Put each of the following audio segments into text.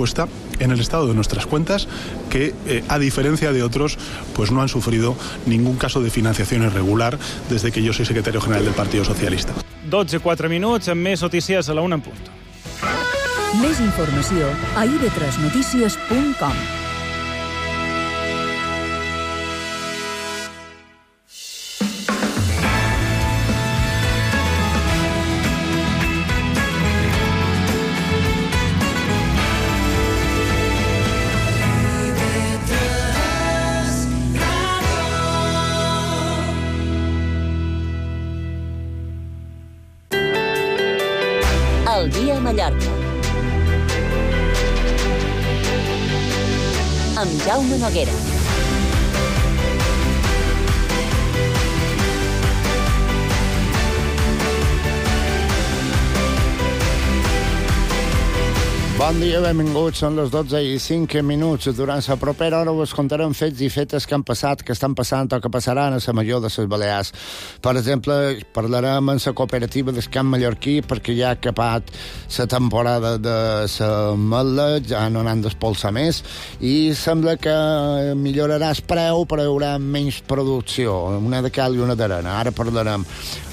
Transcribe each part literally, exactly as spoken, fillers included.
puesta en el estado de nuestras cuentas, que eh, a diferencia de otros, pues no han sufrido ningún caso de financiación irregular desde que yo soy secretario general del Partido Socialista. dotze i quatre minuts, amb més notícies a la una en punt. Més informació a i de tres notícies punt com. El dia a Mallorca. Amb Jaume Noguera. Bon dia, benvinguts. Són les dotze i cinc minuts. Durant la propera hora us contarem fets i fetes que han passat, que estan passant o que passaran a la Major de les Balears. Per exemple, parlarem amb la cooperativa del Camp Mallorquí perquè ja ha acabat la temporada de la mel·la, ja no n'han d'espolsar més, i sembla que millorarà el preu, però hi haurà menys producció, una de cal i una d'arena. Ara parlarem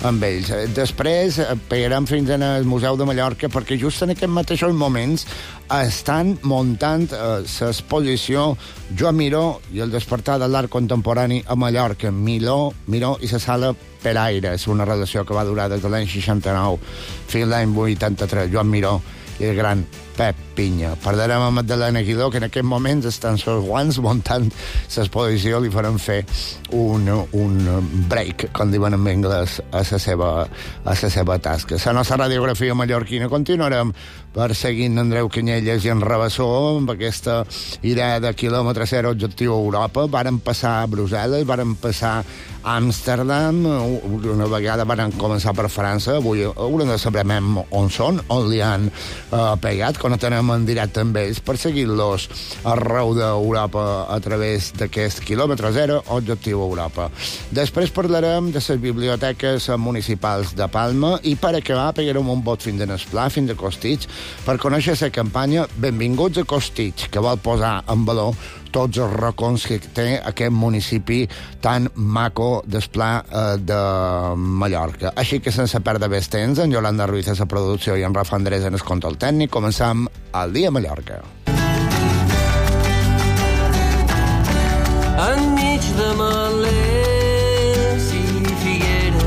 amb ells. Després, pegarem fins al Museu de Mallorca perquè just en aquests mateixos moments estan muntant eh, l'exposició Joan Miró i el despertar de l'art contemporani a Mallorca. Miró, Miró i la sala Peraire. És una relació que va durar des de l'any seixanta-nou fins a l'any vuitanta-tres. Joan Miró i el gran Pep Pinya. Parlarem amb Magdalena Guidó, que en aquest moment estan els guants muntant l'exposició. Li farem fer un, un break, com diuen en anglès, a la seva, a la seva tasca. La nostra radiografia mallorquina continuarem perseguint Andreu Canyelles i en Rabassó amb aquesta idea de quilòmetre zero objectiu a Europa. Varen passar a Brussel·les, varen passar a Amsterdam, una vegada varen començar per França. Avui haurem de saber on són, on li han eh, pegat, quan tenem en directe amb ells, per seguir-los arreu d'Europa a través d'aquest quilòmetre zero objectiu a Europa. Després parlarem de les biblioteques municipals de Palma i per acabar pegarem un bot fins a Esplà, fins a Costitx, per conèixer la campanya Benvinguts a Costitx, que vol posar en valor tots els racons que té aquest municipi tan maco d'Esplà eh, de Mallorca. Així que sense perdre més temps, en Yolanda Ruiz a la producció i en Rafa Andrés en el control tècnic, començam el dia a Mallorca. Enmig de melers i figueres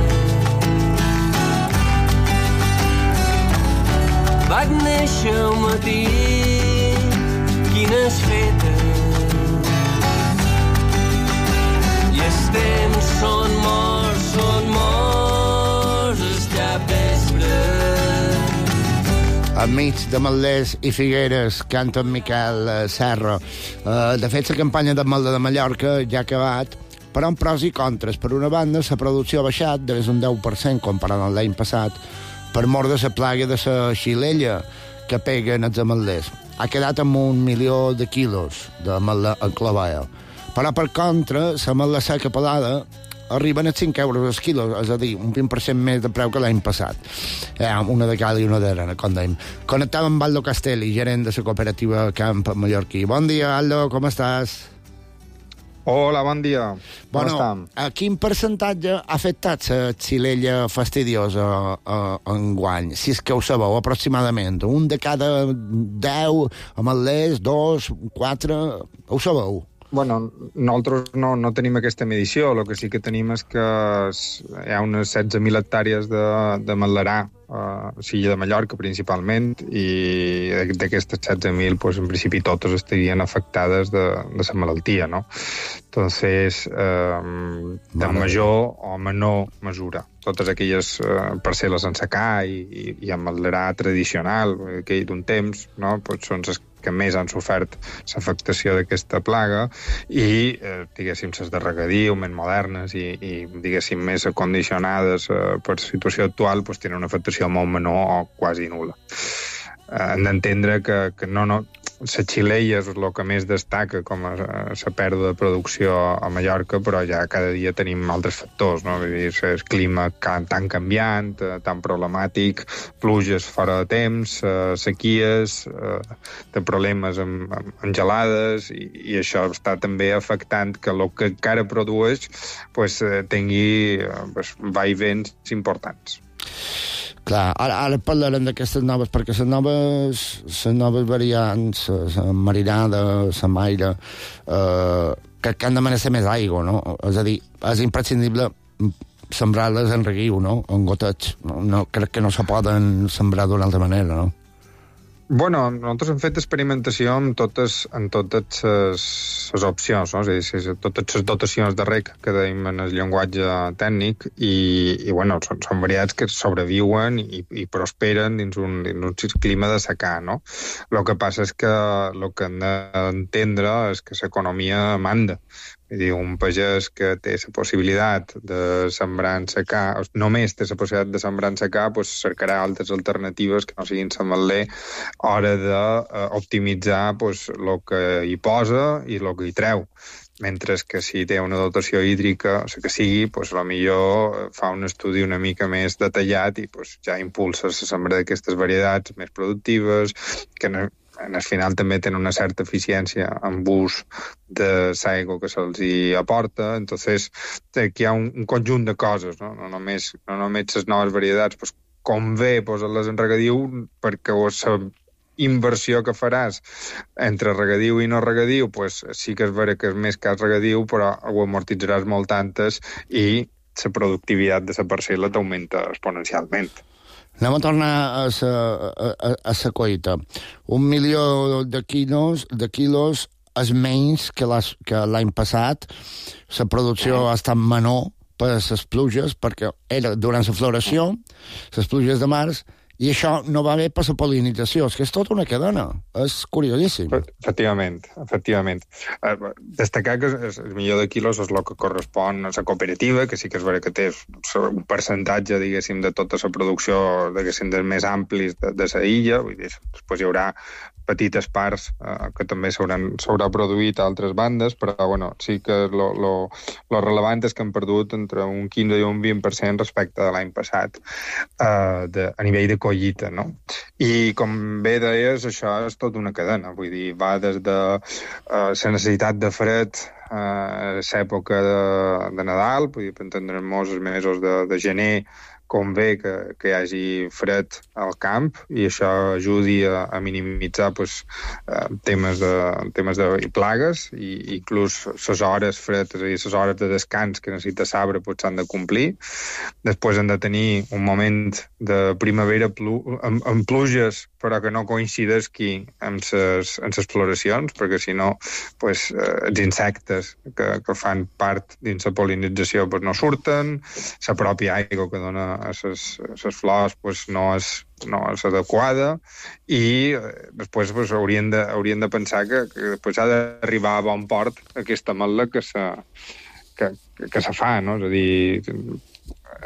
vaig néixer un matí, quines fetes. Els temps són morts, són morts, és ja vespre. Enmig de Mallers i Figueres canta en Miquel Serra. Uh, de fet, la campanya de Mel·la de Mallorca ja ha acabat, però amb pros i contres. Per una banda, la producció ha baixat de un deu per cent comparat amb l'any passat per mort de la plaga de la xilella que peguen els ametllers. Ha quedat amb un milió de quilos de ametlla enclavada. Però, per contra, la ametlla seca pelada arriben a cinc euros el quilo, és a dir, un vint per cent més de preu que l'any passat. Eh, una de cal i una d'arena, com dèiem. Connectàvem amb Aldo Castelli, gerent de la cooperativa Camp Mallorquí. Bon dia, Aldo, com estàs? Hola, bon dia. Com bueno, estem? A quin percentatge ha afectat la xilella fastidiosa uh, enguany? Si és que ho sabeu, aproximadament. Un de cada deu ametllers, dos, quatre... Ho sabeu? Bueno, nosaltres no, no tenim aquesta medició. El que sí que tenim és que hi ha unes setze mil hectàrees de, de ametlerà, uh, Silla de Mallorca principalment, i d'aquestes setze mil, pues, en principi totes estarien afectades de, de la malaltia, no? Entonces, eh, de major o menor mesura. Totes aquelles eh, parcel·les en secà i, i, i ametlerà tradicional, aquell d'un temps, no? Pues són les que més han sofert l'afectació d'aquesta plaga i, eh, diguéssim, les de regadiu, més modernes i, i diguéssim, més acondicionades eh, per la situació actual, pues, tenen una afectació molt menor o quasi nul·la. Eh, hem d'entendre que, que no, no, la xilella és el que més destaca com a la pèrdua de producció a Mallorca, però ja cada dia tenim altres factors, no? Vull dir, el clima tan canviant, tan problemàtic, pluges fora de temps, sequies, de problemes amb, amb gelades, i, i això està també afectant que el que encara produeix pues, tingui pues, vaivens importants. Clar, ara, ara parlarem d'aquestes noves, perquè les noves, les noves variants, la marinada, la maire, eh, que, que han de ser més aigua, no? És a dir, és imprescindible sembrar-les en reguiu, no? En goteig. No, no, crec que no se poden sembrar d'una altra manera, no? Bueno, nosaltres hem fet experimentació amb totes, en totes les, les opcions, no? És a dir, totes les dotacions de reg que deim en el llenguatge tècnic i, i bueno, són, són variats que sobreviuen i, i prosperen dins un, dins un clima de secà, no? El que passa és que el que hem d'entendre és que l'economia manda. És dir, un pagès que té la possibilitat de sembrar en secà, només té la possibilitat de sembrar en secà, doncs cercarà altres alternatives que no siguin l'ametler a hora d'optimitzar doncs, el que hi posa i el que hi treu. Mentre que si té una dotació hídrica, o sigui que sigui, doncs potser fa un estudi una mica més detallat i doncs, ja impulsa la sembra d'aquestes varietats més productives, que no, en el final també tenen una certa eficiència en ús de l'aigua que se'ls hi aporta. Entonces, aquí hi ha un, un conjunt de coses, no, no només, no només les noves varietats, pues, convé posar-les en regadiu perquè la inversió que faràs entre regadiu i no regadiu, pues, sí que és vera que és més que el regadiu, però ho amortitzaràs molt tantes i la productivitat de la parcel·la t'augmenta exponencialment. Anem a tornar a la a, a, a la coita. Un milió de quilos, de quilos és menys que l'any passat. La producció ha estat menor per les pluges, perquè era durant la floració, les pluges de març, i això no va bé per la pol·linització. És que és tota una cadena. És curiosíssim. Efectivament, efectivament. Uh, destacar que el milió de quilos és el que correspon a la cooperativa, que sí que és vera que té un percentatge, diguéssim, de tota la producció, diguéssim, dels més amplis de, de la illa. Vull dir, després hi haurà petites parts uh, que també s'haurà produït a altres bandes, però bueno, sí que lo, lo, lo relevant és que han perdut entre un quinze i un vint per cent respecte de l'any passat uh, de, a nivell de collita, no? I com bé deies, això és tota una cadena, vull dir, va des de uh, la necessitat de fred uh, a l'època de, de Nadal, vull dir, per entendre'ns els mesos de, de gener, convé que, que hi hagi fred al camp i això ajudi a, a minimitzar pues, eh, temes, de, temes de i plagues i inclús les hores fredes, és a dir, les hores de descans que necessita l'arbre pues, s'han de complir. Després han de tenir un moment de primavera plu, amb, amb pluges però que no coincideixi amb les amb les floracions, perquè si no pues, eh, els insectes que, que fan part dins la pol·linització pues, no surten, la pròpia aigua que dona a les flors pues, no, és, no és adequada i eh, després pues, haurien, de, haurien de pensar que, que després ha d'arribar a bon port aquesta ametla que se, que, que, que se fa, no? És a dir,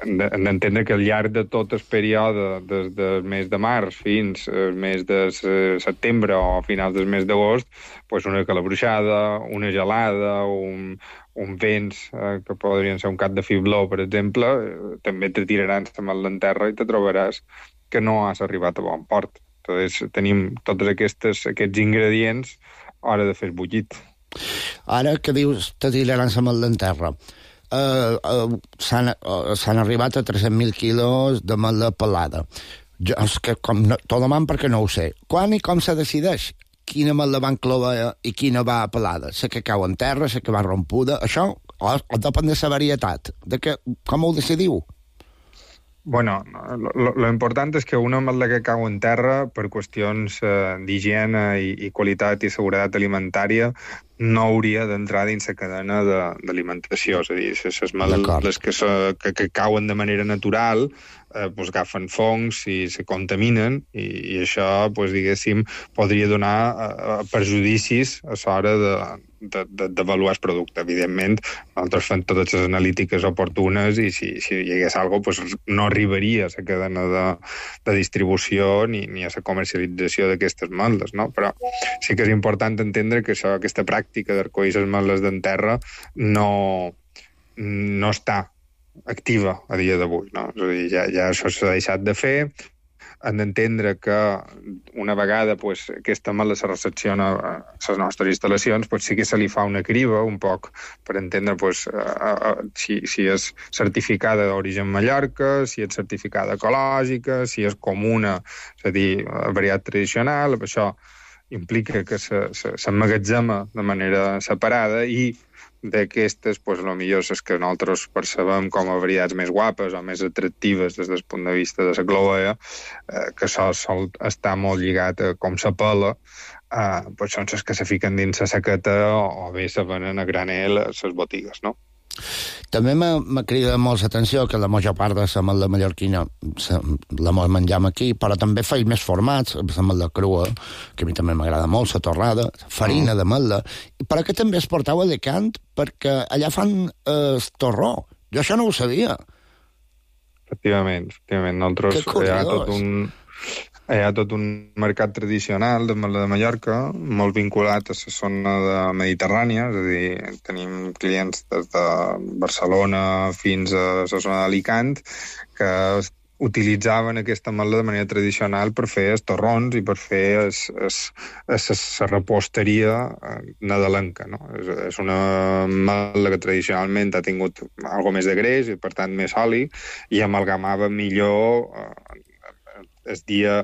hem d'entendre que al llarg de tot el període des del mes de març fins al mes de setembre o a finals del mes d'agost, pues una calabruixada, una gelada, un, un vents eh, que podrien ser un cap de fibló, per exemple, eh, també te tiraran la ametla en terra i te trobaràs que no has arribat a bon port. Entonces, tenim tots aquests, aquests ingredients a l'hora de fer el bullit. Ara que dius te tiraran l'ametla en terra, Uh, uh, s'han uh, arribat a tres-cents mil quilos de ametla pelada. Jo, és que com no, tot demant perquè no ho sé. Quan i com se decideix quina ametla van clovar i quina va pelada? Sé que cau en terra, sé que va rompuda. Això o, o depèn de la varietat. De que, com ho decidiu? Bueno, lo, lo important és que una ametla que cau en terra per qüestions eh, d'higiene i, i qualitat i seguretat alimentària no hauria d'entrar dins la cadena d'alimentació. És a dir, les ametles que, so, que, que cauen de manera natural eh, pues, agafen fongs i se contaminen, i, i això, pues, diguéssim, podria donar eh, perjudicis a l'hora d'avaluar el producte. Evidentment, nosaltres fem totes les analítiques oportunes i si, si hi hagués alguna cosa, pues, no arribaria a la cadena de, de distribució ni, ni a la comercialització d'aquestes malles, no? Però sí que és important entendre que això, aquesta pràctica d'arcoir les malles d'en terra no, no està activa a dia d'avui, no? És a dir, ja, ja això s'ha deixat de fer. Han d'entendre que una vegada pues, aquesta mala se recepciona a les nostres instal·lacions, pues, sí que se li fa una criba un poc per entendre pues, a, a, si, si és certificada d'origen Mallorca, si és certificada ecològica, si és comuna, és a dir, varietat tradicional. Això implica que s'emmagatzema de manera separada i d'aquestes, pues, el millor és que nosaltres percebem com a varietats més guapes o més atractives des del punt de vista de la cloea, eh, que això sol estar molt lligat a com s'apela, eh, pues són les que se fiquen dins la saqueta o, o bé se venen a granel a les botigues, no? També m'ha cridat molt l'atenció que la major part de la mel·la mallorquina se, la menjam aquí, però també feia més formats, la mel·la crua, que a mi també m'agrada molt, la torrada, farina mm. de mel·la, però que també es portava a Alicant perquè allà fan eh, el torró. Jo això no ho sabia. Efectivament, efectivament. Nosaltres hi ha tot un... Hi ha tot un mercat tradicional de mel·la de Mallorca, molt vinculat a la zona de Mediterrània, és a dir, tenim clients des de Barcelona fins a la zona d'Alicant que utilitzaven aquesta mel·la de manera tradicional per fer els torrons i per fer la reposteria nadalenca, no? És, és una mel·la que tradicionalment ha tingut algo més de greix i, per tant, més oli, i amalgamava millor eh, el dia,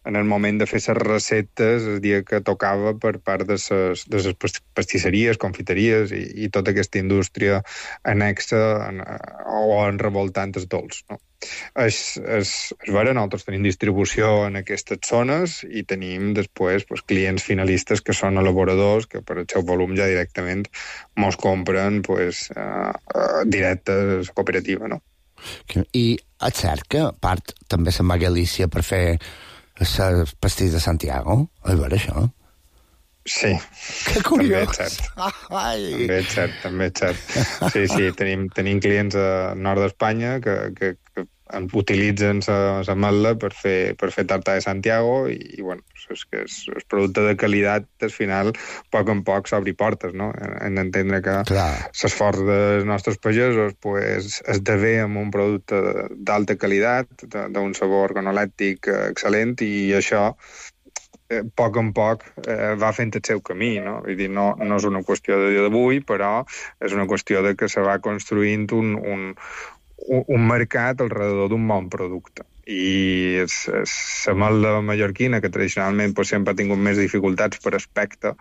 en el moment de fer les receptes, el dia que tocava per part de les, de les pastisseries, confiteries i, i tota aquesta indústria anexa en, o en revoltant els dolç, no? És, és, és vera, nosaltres tenim distribució en aquestes zones i tenim després pues, clients finalistes que són elaboradors que per el seu volum ja directament mos compren pues, uh, uh, directe a la cooperativa, no? I és cert que a part també se'n va a Galícia per fer el pastís de Santiago? És vera, això? Sí. Que curiós. També és cert. Ai. També és cert, també és cert. Sí, sí, tenim, tenim clients al nord d'Espanya que, que, que utilitzen la mel·la per fer, per fer tarta de Santiago i, i bueno, és que és, és producte de qualitat, al final, a poc en poc s'obri portes, no? Hem d'entendre que l'esforç dels nostres pagesos pues, esdevé amb un producte d'alta qualitat, d'un sabor organolèctic excel·lent, i això a poc en poc eh, va fent el seu camí, no? Vull dir, no, no és una qüestió de dia d'avui, però és una qüestió de que se va construint un, un, un mercat alrededor d'un bon producte. I la mel·la mallorquina, que tradicionalment pues, sempre ha tingut més dificultats per aspecte,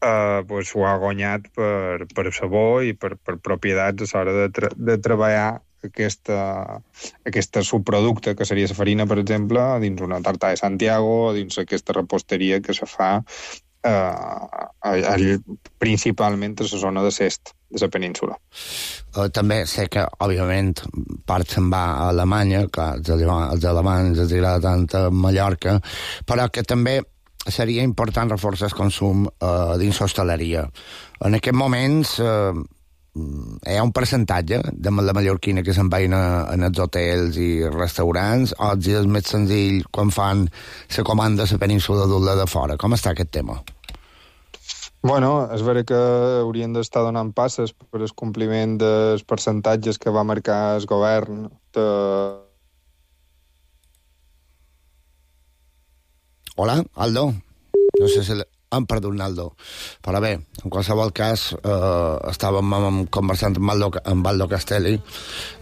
eh, pues, ho ha guanyat per, per sabor i per, per propietats a l'hora de, tra de treballar aquesta, aquesta subproducte, que seria la farina, per exemple, dins una tarta de Santiago, dins aquesta reposteria que se fa eh, principalment a la zona de l'est de la península. Uh, també sé que, òbviament, part se'n va a Alemanya, clar, els alemanys els agrada tant a Mallorca, però que també seria important reforçar el consum uh, dins l'hostaleria. En aquests moments uh, hi ha un percentatge de la mallorquina que se'n veien en els hotels i restaurants, o és més senzill quan fan la comanda a la península d'Ula de fora. Com està aquest tema? Bueno, és vera que haurien d'estar donant passes per el compliment dels percentatges que va marcar el govern de... Hola, Aldo? No sé si... Hem perdut Aldo. Però bé, en qualsevol cas, eh, estàvem conversant amb Aldo, amb Aldo Castelli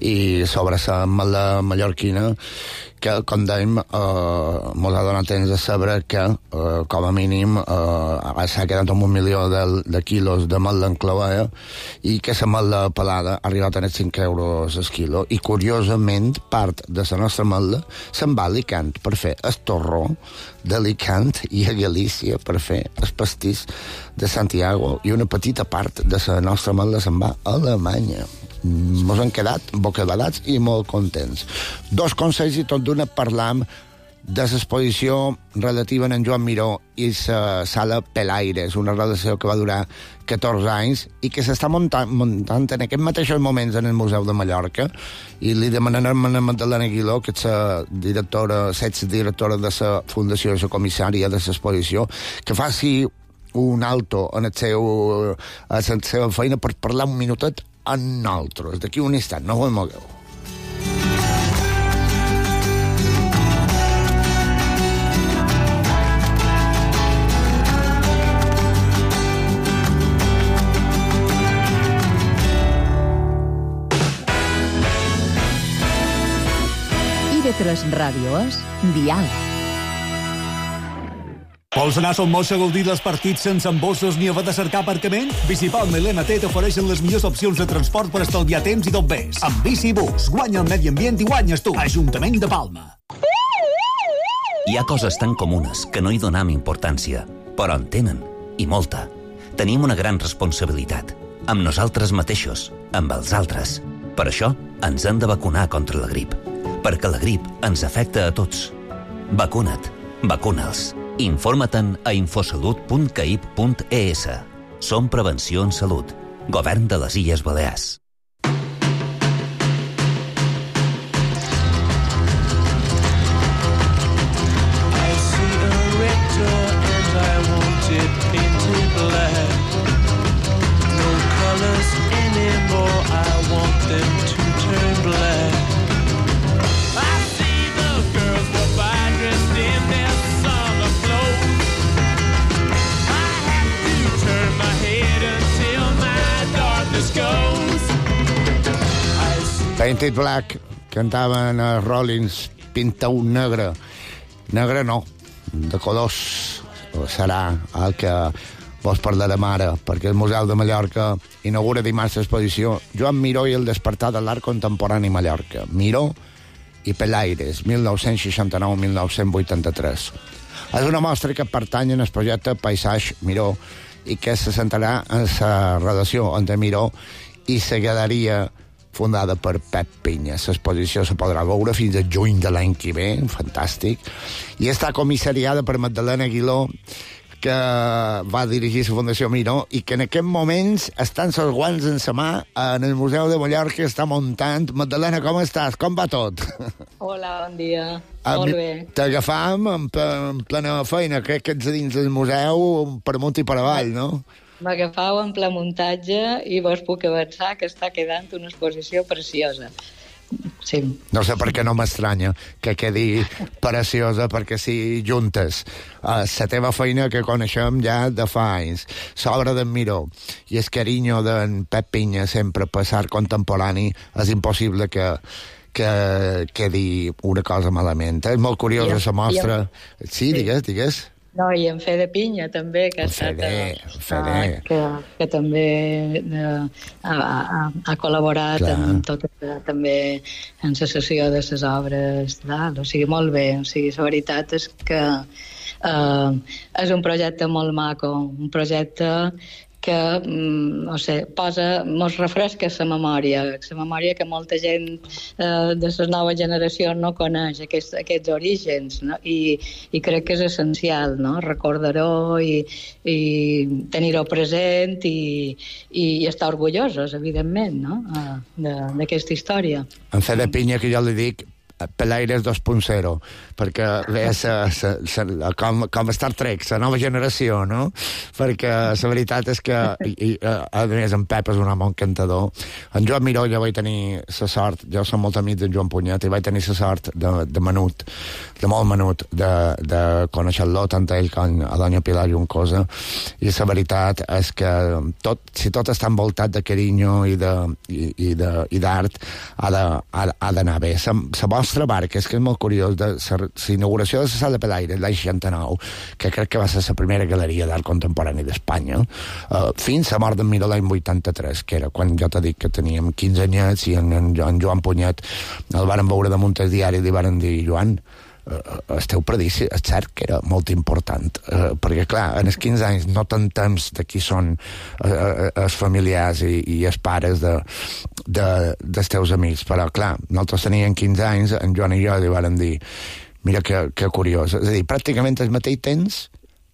i sobre la mel·la mallorquina, que, com dèiem, eh, mos ha donat temps de saber que, eh, com a mínim, eh, s'ha quedat amb un milió de, de quilos de mel·la en clavea i que la mel·la pelada ha arribat a cinc euros el quilo. I, curiosament, part de la nostra mel·la se'n va a Alicant per fer el torró d'Alicant i a Galícia per fer el pastís de Santiago, i una petita part de la nostra ametla se'n va a Alemanya. Ens han quedat bocabadats i molt contents. Dos consells i tot d'una parlam de l'exposició relativa en Joan Miró i la sala Pelaires, una relació que va durar catorze anys i que s'està muntant, muntant en aquests mateixos moments en el Museu de Mallorca, i li demanarem a Magdalena Aguiló, que és la directora, directora de la Fundació i la comissària de l'exposició, que faci un alto en el seu, a la seva feina per parlar un minutet amb nosaltres. D'aquí un instant, no us mogueu. I V tres Ràdio és Diàleg. Vols anar a Son Moix a gaudir dels partits sense embossos ni haver de cercar aparcament? Bicipalma i l'N T t'ofereixen les millors opcions de transport per estalviar temps i tot més. Amb Bicibus, guanya el medi ambient i guanyes tu. Ajuntament de Palma. Hi ha coses tan comunes que no hi donam importància, però en tenen, i molta. Tenim una gran responsabilitat, amb nosaltres mateixos, amb els altres. Per això ens hem de vacunar contra la grip, perquè la grip ens afecta a tots. Vacuna't, vacuna'ls. Informa-te'n a infosalut punt caip punt e essa. Som Prevenció en Salut. Govern de les Illes Balears. Painted Black cantaven a Rollins, pinta un negre. Negre no, de colors serà el que vos parlarem ara, perquè el Museu de Mallorca inaugura dimarts l'exposició Joan Miró i el despertar de l'art contemporani a Mallorca. Miró i Pelaires, mil nou-cents seixanta-nou a mil nou-cents vuitanta-tres. És una mostra que pertany al projecte Paisatge Miró i que se centrarà en la relació entre Miró i la galeria fundada per Pep Pinya. L'exposició se podrà veure fins a juny de l'any que ve, fantàstic, i està comissariada per Magdalena Aguiló, que va dirigir la Fundació Miró i que en aquests moments estan els guants en la mà en el Museu de Mallorca, està muntant. Magdalena, com estàs? Com va tot? Hola, bon dia. Molt bé. T'agafam en, en plena feina, crec que ets dins del museu per amunt i per avall, no? M'agafau en ple muntatge i vos puc avançar que està quedant una exposició preciosa. Sí. No sé per què no m'estranya que quedi preciosa, perquè si juntes uh, la teva feina que coneixem ja de fa anys, l'obra d'en Miró i el carinyo d'en Pep Pinya sempre per l'art contemporani, és impossible que que quedi una cosa malament. És molt curiosa la mostra. Sí, digues, digues. No, i en Fede Pinya també, que ha estat Fede, Fede. Uh, que, que també uh, ha, ha, ha col·laborat Clar. en tot, uh, també en la sessió de les obres, tal. O sigui, molt bé. O sigui, la veritat és que uh, és un projecte molt maco, un projecte que, mm, no sé, posa, mos refresca la memòria, la memòria que molta gent eh, de les noves generacions no coneix, aquests, aquests orígens, no? I, i crec que és essencial, no? Recordar-ho i, i tenir-ho present i, i estar orgullosos, evidentment, no? D'aquesta història. En Fede Pinya, que jo li dic Pelaires dos punt zero, perquè ve sa, sa, sa, com, com Star Trek, la nova generació, no? Perquè la veritat és que i, i, a més en Pep és un home encantador. En Joan Miró jo vaig tenir la sort, jo som molt amic d'en Joan Punyet, i vaig tenir la sort de, de menut, de molt menut, de, de conèixer-lo, tant a ell com a doña Pilar Juncosa, i la veritat és que tot, si tot està envoltat de carinyo i d'art, i, i de, i ha d'anar bé. La vostra barca, és que és molt curiós, de l'inauguració de la sala Pelaires l'any seixanta-nou, que crec que va ser la primera galeria d'art contemporani d'Espanya, uh, fins a mort d'en Miró l'any vuitanta-tres, que era quan jo t'he dit que teníem quinze anyets i en, en, en Joan Punyet el varen veure damunt el diari i li varen dir, Joan, el teu predici, és cert que era molt important, eh, perquè, clar, en els quinze anys no tant temps de qui són eh, els familiars i, i els pares de, de, dels teus amics, però, clar, nosaltres teníem quinze anys, en Joan i jo li vam dir, mira que, que curiós, és a dir, pràcticament el mateix temps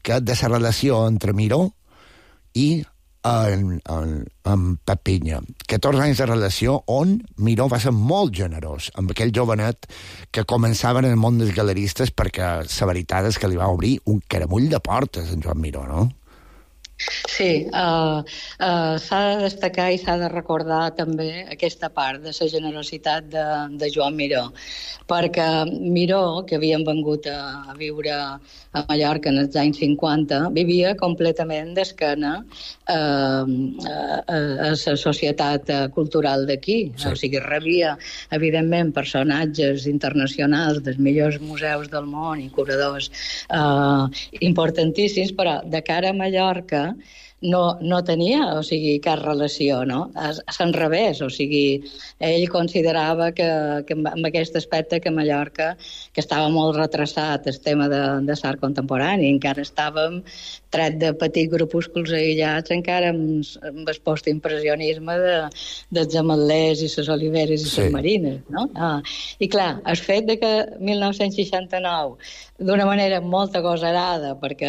que de la relació entre Miró i en, en, en Pep Pinya. catorze anys de relació on Miró va ser molt generós amb aquell jovenet que començava en el món dels galeristes, perquè la veritat és que li va obrir un caramull de portes en Joan Miró, no? Sí, uh, uh, s'ha de destacar i s'ha de recordar també aquesta part de la generositat de, de Joan Miró, perquè Miró, que havien vengut a, a viure a Mallorca en els anys cinquanta, vivia completament d'esquena uh, a, a, a la societat cultural d'aquí. Sí. O sigui, rebia, evidentment, personatges internacionals dels millors museus del món i curadors uh, importantíssims, però de cara a Mallorca no, no tenia, o sigui, cap relació, no? A l'enrevés, o sigui, ell considerava que, que amb aquest aspecte que Mallorca, que estava molt retrasat el tema de, de l'art contemporani, encara estàvem tret de petits grupúsculs aïllats, encara amb, amb el postimpressionisme de, dels ametlers i les oliveres i les sí. marines, no? Ah, I clar, el fet de que mil nou-cents seixanta-nou, d'una manera molt agosarada, perquè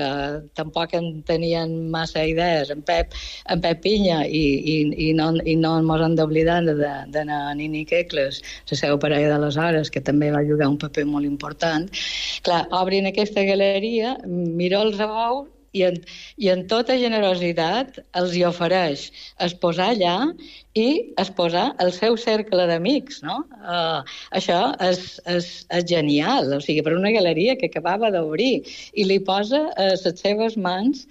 tampoc en tenien massa idees, en Pep, en Pep Pinya, i, i, i no, i no ens hem d'oblidar d'anar a Nini Kekles, la seva parella d'aleshores, que també va jugar un paper molt important. Clar, obrin aquesta galeria, Miró els veu, i en, i en tota generositat els hi ofereix exposar allà i exposar el seu cercle d'amics, no? Uh, això és, és, és genial, o sigui, per una galeria que acabava d'obrir, i li posa a les seves mans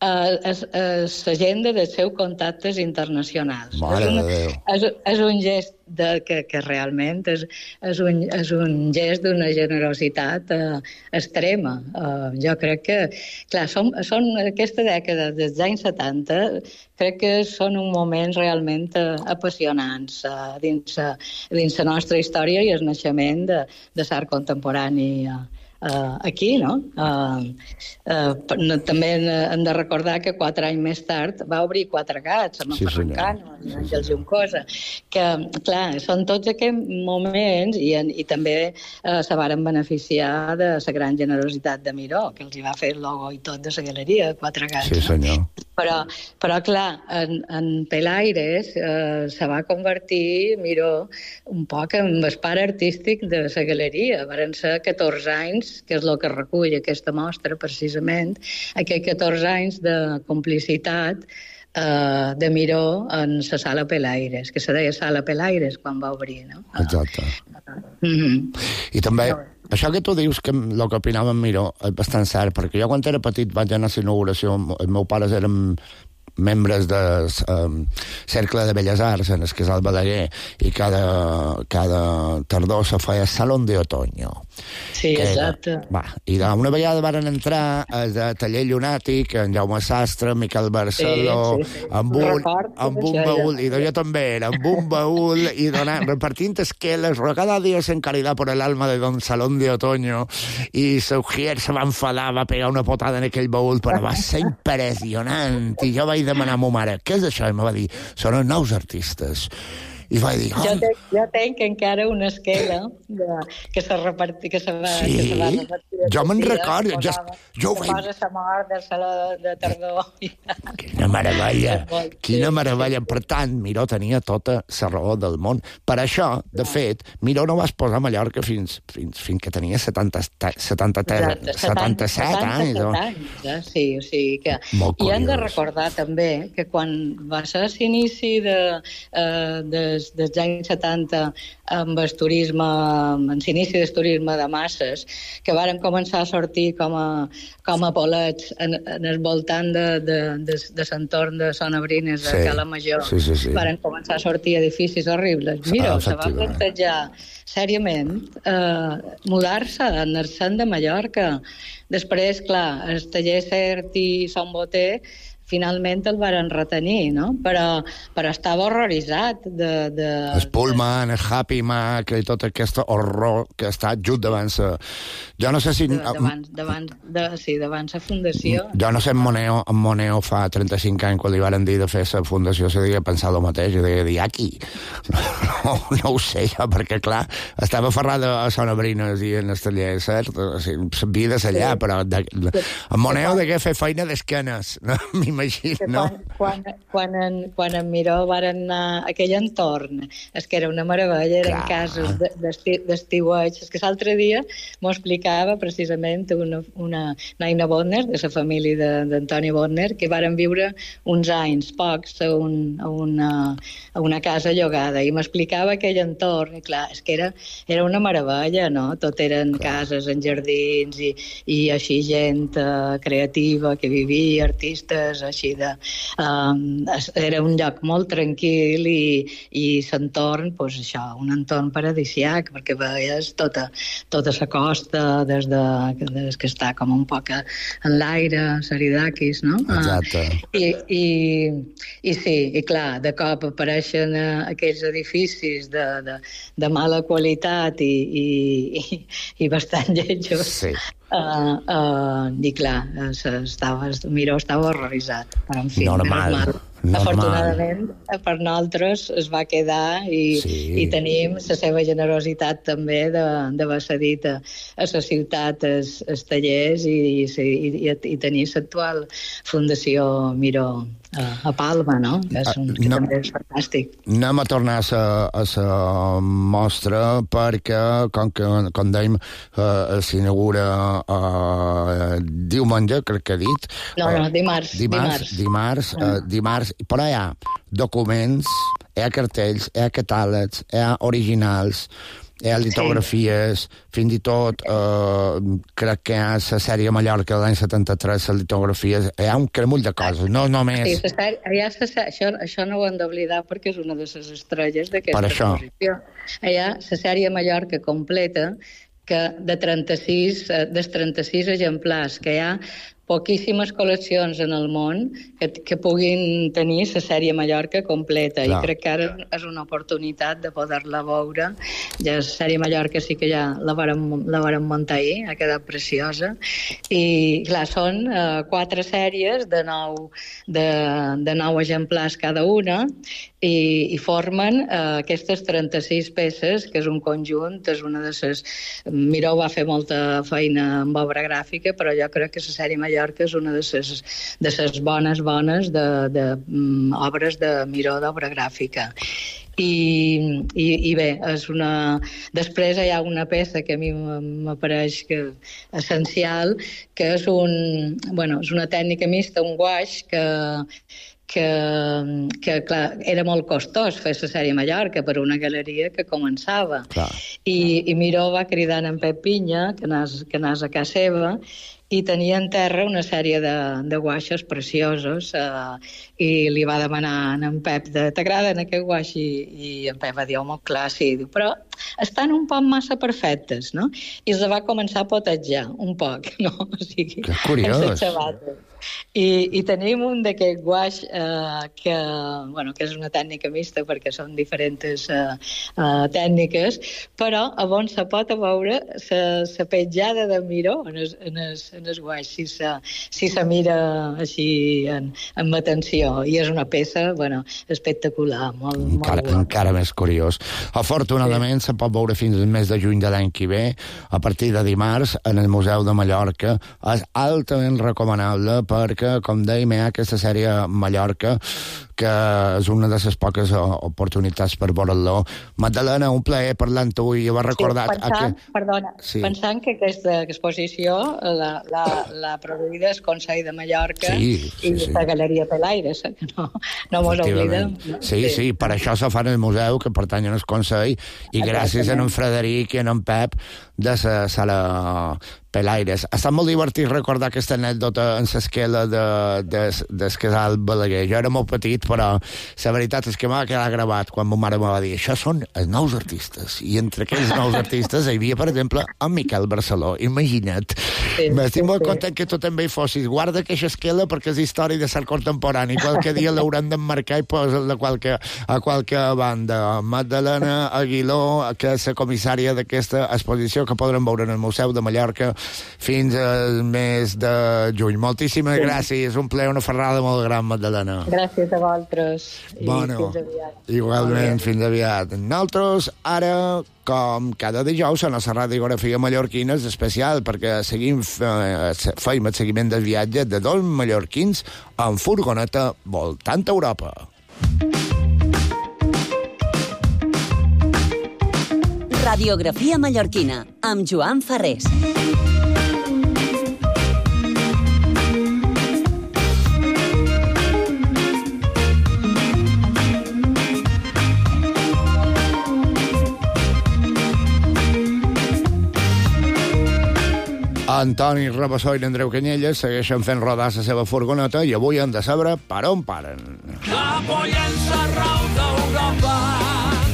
l'agenda dels seus contactes internacionals. Mare és, una, de Déu. és, és un gest de, que, que realment és, és, un, és un gest d'una generositat uh, extrema. Uh, jo crec que, clar, són, són aquesta dècada dels anys setanta, crec que són un moments realment uh, apassionants uh, dins, uh, dins la nostra història i el naixement de, de l'art contemporani uh, Uh, aquí, no? Uh, uh, també hem de recordar que quatre anys més tard va obrir Quatre Gats, amb sí, el Ferrancano, amb Àngel Juncosa, que, clar, són tots aquests moments i, i també uh, se varen beneficiar de la gran generositat de Miró, que els hi va fer el logo i tot de la galeria de Quatre Gats. Sí, senyor. No? Però, però, clar, en, en Pelaires eh, se va convertir, Miró, un poc en el pare artístic de la galeria. Varen ser catorze anys, que és el que recull aquesta mostra, precisament, aquests catorze anys de complicitat eh, de Miró en la sala Pelaires, que se deia sala Pelaires quan va obrir, no? Exacte. Mm-hmm. I també, això que tu dius, que el que opinava en Miró, és bastant cert, perquè jo quan era petit vaig anar a la inauguració, els meus pares eren membres del um, Cercle de Belles Arts en el Casal Balaguer, i cada, cada tardor se feia Salón de Otoño. Sí, exacte. Va, i una vegada van entrar el de Taller Llunàtic, en Jaume Sastre, Miquel Barceló, sí, sí, sí. amb un, Repart, amb un baúl, i jo també era, amb un baúl, i donant, repartint esqueles, cada dia en caridad por el alma de Don Salón de Otoño, i Saugier se va enfadar, va pegar una potada en aquell baúl, però va ser impressionant, i jo vaig demanar a ma mare, què és això? I em va dir, són els nous artistes. I vaig dir... Oh. Jo, tenc, jo tenc encara una esquela de, que se reparti, que se va, sí? que se va repartir. Jo me'n recordo. Jo, jo ho vaig... Posa la mort del saló de, de tardor. Quina meravella. Quina meravella. Per tant, Miró tenia tota la raó del món. Per això, de fet, Miró no va exposar a Mallorca fins, fins, fins que tenia setanta, setanta, setanta-set anys. anys eh? Sí, o sigui que... Molt I hem de curiós. recordar també que quan va ser l'inici de, uh, des, dels anys setanta amb el turisme, amb l'inici del turisme de masses, que varen començar a sortir com a, com a bolets en, en el voltant de, de, de, de l'entorn de Sonabrines, de sí, Cala Major, sí, sí, sí. varen començar a sortir edificis horribles. Mira, ah, se va plantejar sèriament eh, mudar-se, anar-se'n de Mallorca. Després, clar, el taller Cert i Son Boter finalment el varen retenir, no? Però, però estava horroritzat de... de el Pullman, el Happy Mac i tot aquest horror que està just davant sa... Jo no sé si... De, davant, davant, de, sí, davant sa fundació. Jo no sé, en Moneo, en Moneo fa trenta-cinc anys, quan li varen dir de fer la fundació, se devia pensar el mateix, i deia dir, aquí. No, no ho sé, jo, perquè, clar, estava aferrada a Son Abrines i en el taller, cert? O sigui, s'havia de sellar, sí. Però de, de, en Moneo degué fer feina d'esquenes, no? M'imagino, no? Quan, quan, quan, en, quan en Miró varen anar a aquell entorn, és que era una meravella, eren clar. Casos d'estiueig. És que l'altre dia m'ho explicava precisament una, una Naina Bodner, de la família d'Antoni Bodner, que varen viure uns anys, pocs, a, un, a, una, a una casa llogada, i m'explicava aquell entorn, i clar, és que era, era una meravella, no? Tot eren clar. Cases en jardins, i, i així gent uh, creativa que vivia, artistes, així de... Um, era un lloc molt tranquil i, i l'entorn, doncs això, un entorn paradisiac, perquè veies tota, tota la costa des, de, des que està com un poc en l'aire, Saridakis, no? Exacte. Uh, i, i, I sí, i clar, de cop apareixen uh, aquells edificis de, de, de mala qualitat i, i, i, i bastant lletjos. Sí. Uh, uh, i clar, estava, Miró estava horroritzat, però en fi, normal, normal. normal. Afortunadament per nosaltres es va quedar i, sí. I tenim la seva generositat també d'haver cedit a, a la ciutat els, els tallers i, i, i, i tenir l'actual Fundació Miró a, a Palma, no? Que, és un, que no, també és fantàstic. Anem a tornar a la mostra perquè, com, que, com dèiem, eh, s'inaugura eh, diumenge, crec que he dit. No, no, dimarts. Dimarts, dimarts, dimarts, eh, dimarts, però hi ha documents, hi ha cartells, hi ha catàlegs, hi ha originals, hi ha litografies, sí. Fins i tot eh, crec que hi ha la sèrie Mallorca de l'any setanta-tres, les litografies, hi ha un cremull de coses, no només... Sí, sèrie, ha, això, això no ho hem d'oblidar perquè és una de les estrelles d'aquesta exposició. Hi ha la sèrie Mallorca completa, que de trenta-sis, dels trenta-sis exemplars que hi ha, poquíssimes col·leccions en el món que, que puguin tenir la sèrie Mallorca completa. Clar. I crec que ara és una oportunitat de poder-la veure. Ja la sèrie Mallorca sí que ja la vàrem, la vàrem muntar ahir, ha quedat preciosa. I, clar, són uh, quatre sèries de nou, de, de nou exemplars cada una i, i formen uh, aquestes trenta-sis peces, que és un conjunt, és una de les... Miró va fer molta feina amb obra gràfica, però jo crec que la sèrie Mallorca que és una de les, de les bones, bones de, de, um, obres de Miró d'obra gràfica. I, i, i bé, és una... Després hi ha una peça que a mi m'apareix que essencial, que és, un, bueno, és una tècnica mixta, un guaix, que, que, que clar, era molt costós fer la sèrie Mallorca per una galeria que començava. Clar. I, i Miró va cridar en Pep Pinya que anés, que anés a casa seva i tenia en terra una sèrie de, de guaixos preciosos eh, i li va demanar a en Pep de, t'agraden aquest guaix? I, i en Pep va dir, home, clar, sí. Diu, però estan un poc massa perfectes, no? I els va començar a potejar un poc, no? O sigui, que curiós. I, i tenim un d'aquest guaix eh, que, bueno, que és una tècnica mixta perquè són diferents eh, eh, tècniques, però a on se pot veure la petjada de Miró en el, en el, en el guaix, si se, si se mira així en, amb atenció. I és una peça, bueno, espectacular, molt, encara, molt encara més curiós. Afortunadament sí. Se pot veure fins al mes de juny de l'any que ve, a partir de dimarts, en el Museu de Mallorca. És altament recomanable perquè, com dèiem, hi ha aquesta sèrie Mallorca, que és una de les poques oportunitats per veure-lo. Magdalena, un plaer parlar amb tu i ho has recordat... Sí, pensant, que... perdona, sí. pensant que aquesta exposició la, la, la produïda el Consell de Mallorca sí, sí, i sí. La Galeria Pelaires, que no, no mos oblidem. No? Sí, sí, sí, per això se fa en el museu, que pertanyen al Consell, i gràcies a en Frederic i a en Pep de la sala Pelaires. Ha estat molt divertit recordar aquesta anècdota en l'esquela de, de, del casal Balaguer. Jo era molt petit, però la veritat és que m'ha quedat gravat quan ma mare me va dir això són els nous artistes, i entre aquells nous artistes hi havia, per exemple, en Miquel Barceló, imagina't. Sí, M'estic sí, molt sí. content que tu també hi fossis. Guarda que això esquela perquè és història de l'art contemporani, qualque dia l'haurem d'emmarcar i posar-la a qualque, a qualque banda. Magdalena Aguiló, que és la comissària d'aquesta exposició que podrem veure en el Museu de Mallorca fins al mes de juny. Moltíssimes sí. gràcies, un plaer, una ferrada molt gran, Magdalena. Gràcies a vosaltres i bueno, fins aviat. Igualment, fins aviat. Nosaltres, ara, com cada dijous, a la radiografia mallorquina és especial, perquè seguim, feim el seguiment del viatge de dos mallorquins en furgoneta voltant a Europa. Radiografia mallorquina, amb Joan Ferrés. Antoni Rabassó i Andreu Canyelles segueixen fent rodar la seva furgoneta i avui han de saber per on paren. Cap o llença rau d'Europa,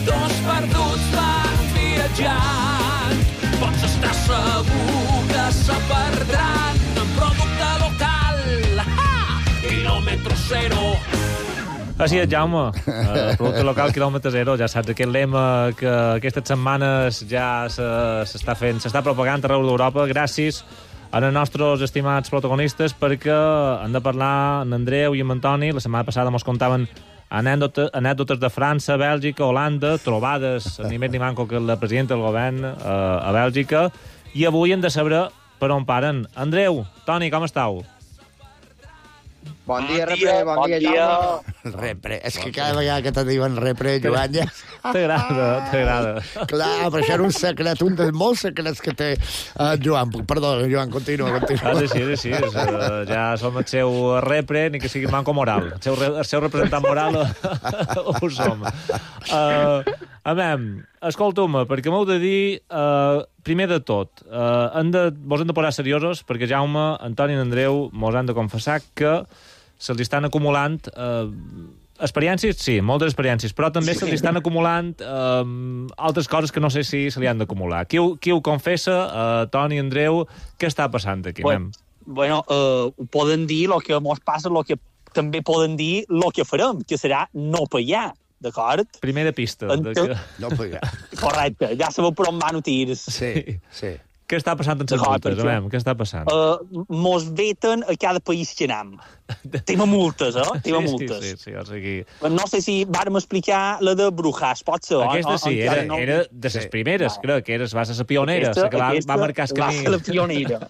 dos perduts van viatjant. Pots estar segur que se perdran en producte local. Ah! Quilòmetre zero. Així és, Jaume. Uh, producte local, quilòmetre zero. Ja saps, aquest lema que aquestes setmanes ja s'està fent, s'està propagant arreu d'Europa. Gràcies als nostres estimats protagonistes, perquè han de parlar en Andreu i en Antoni. La setmana passada mos contaven anècdotes, anècdotes de França, Bèlgica, Holanda, trobades ni més ni manco que la presidenta del govern uh, a Bèlgica. I avui hem de saber per on paren. Andreu, Toni, com estàu? Bon dia, Repre, bon, bon dia, Jaume. Repre, és que cada vegada que te diuen Repre, Joan, ja... T'agrada, t'agrada. Clar, però això era un secret, un dels molts secrets que té uh, Joan. Perdó, Joan, continua, continua. Ah, sí, sí, sí. Uh, ja som el seu Repre, ni que sigui manco moral. El seu, el seu representant moral ho som. Uh, a veure, escolta'm, perquè m'heu de dir, uh, primer de tot, uh, hem de, vos hem de posar seriosos, perquè Jaume, Antoni i Andreu mos han de confessar que se'ls estan acumulant eh, experiències, sí, moltes experiències, però també se'ls estan acumulant eh, altres coses que no sé si se li han d'acumular. Qui, qui ho confessa? Eh, Toni, Andreu, què està passant aquí? Bueno, bueno uh, ho poden dir el que mos passa, el que també poden dir el que farem, que serà no pagar, d'acord? Primera pista. De que... No pagar. Correcte, ja sabeu per on van ho tirs. Sí, sí. Què està passant en les multes? Veiem, què està passant? Uh, mos veten a cada país que anem. Tema multes, eh? Tema sí, multes. Sí, sí, sí, o sigui... No sé si vàrem explicar la de Brujas, pot ser? Aquesta sí, on, era, no... era de les primeres, no. Crec que eres, va ser la pionera, aquesta, la que va, aquesta, va marcar el camí. Va ser la pionera.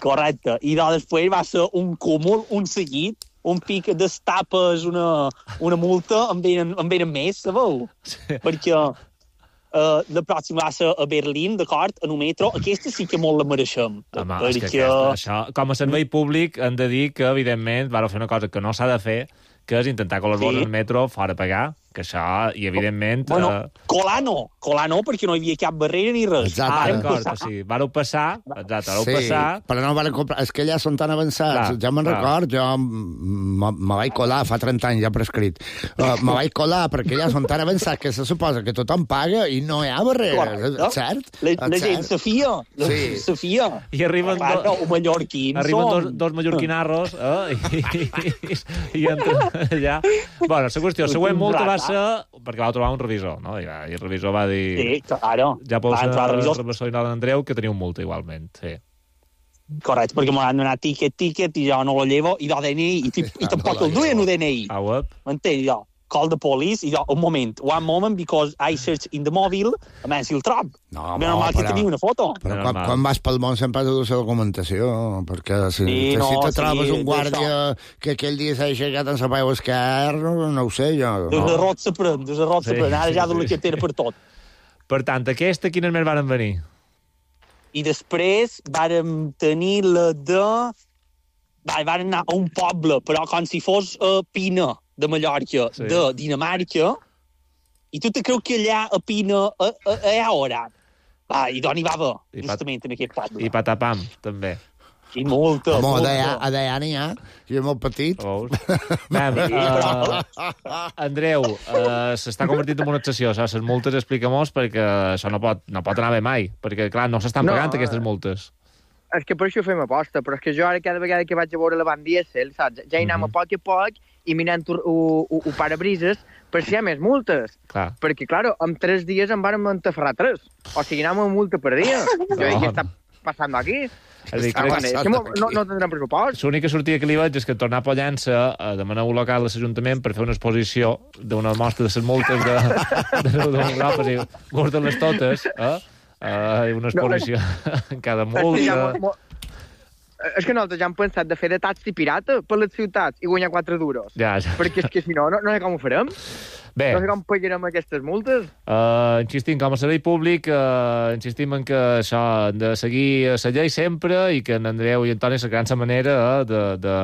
Correcte. I després va ser un cúmul, un seguit, un pic destapes una, una multa, en venen, en venen més, sabeu? Sí. Perquè... Uh, la pròxima va ser a Berlín, d'acord, en un metro. Aquesta sí que molt la mereixem. Home, perquè... és que aquesta, això, com a servei públic, hem de dir que, evidentment, vau fer una cosa que no s'ha de fer, que és intentar colar sí. en el metro fora pagar, que això, i evidentment... Bueno, uh... colar no, colar no, perquè no hi havia cap barrera ni res. Exacte. Ah, d'acord, o sigui, vareu passar, exacte, vareu sí, passar... però no van comprar, és que ja són tan avançats, clar, ja me'n record, jo me vaig colar, fa trenta anys ja prescrit, uh, me vaig colar perquè ja són tan avançats que se suposa que tothom paga i no hi ha barrera, no? Cert? La, la cert? gent se fia, la sí. se fia. I arriben, clar, do... no, mallorquins arriben dos, dos mallorquinarros, eh? I, i, i, i entren allà... Bueno, la qüestió, la següent multa va ser... perquè va trobar un revisor, no? I, i el revisor va dir... Sí, claro. Ja podeu ser el revisor i d'Andreu, que teniu multa igualment, sí. Correcte, perquè m'han donat tiquet, tiquet, i jo no lo llevo, i do D N I, i, i, i tampoc el duien el D N I. Ah, web. M'entens, jo? Call the police, i jo, un moment, one moment, because I search in the mobile, a més, si el trob. No, no, normal que tenia una foto. Però quan, quan vas pel món sempre has de dur la documentació, perquè si, sí, no, si te trobes sí, un guàrdia que aquell dia s'ha aixecat en la peu esquerra, no, no ho sé, jo. Des de rot s'aprèn, des de rot s'aprèn, ara ja du la cartera per tot. Per tant, aquesta, quines més varen venir? I després vàrem tenir la de... Va, vàrem anar a un poble, però com si fos uh, Pina, de Mallorca, sí. De Dinamarca, i tu te creu que allà a Pina a, a, a, a hora. Va, i d'on hi va haver, justament, en aquest poble. I Patapam, també. I molta, Home, molta. a d'allà n'hi ha, i és molt petit. Oh. Mem, uh, Andreu, uh, s'està convertint en una obsessió, saps? Les multes explica-mos perquè això no pot, no pot anar bé mai, perquè, clar, no s'estan No, pagant aquestes multes. És que per això fem aposta, però és que jo ara cada vegada que vaig a veure la Van Diesel, saps? Ja hi anem a poc a poc i mirant el parabrises per si hi ha més multes. Clar. Perquè, clar, en tres dies em van entaferrar tres. O sigui, anem a multa per dia. Jo dic, què està passant aquí? És a dir, Ah, crec... és que no, no tindrem pressupost. L'única sortida que li veig és que tornar a Pollença a demanar un local a l'Ajuntament per fer una exposició d'una mostra de les multes de, de, de, de Europa, i guarda-les totes, eh? Uh, una exposició en cada multa. És que nosaltres ja hem pensat de fer de taxi pirata per les ciutats i guanyar quatre duros. Ja, ja. Perquè és que si no, no, no sé com ho farem. Bé. No sé com pagarem aquestes multes. Uh, insistim, com a servei públic, uh, insistim en que això de seguir la llei sempre i que en Andreu i Antoni cercaran la manera uh, de, de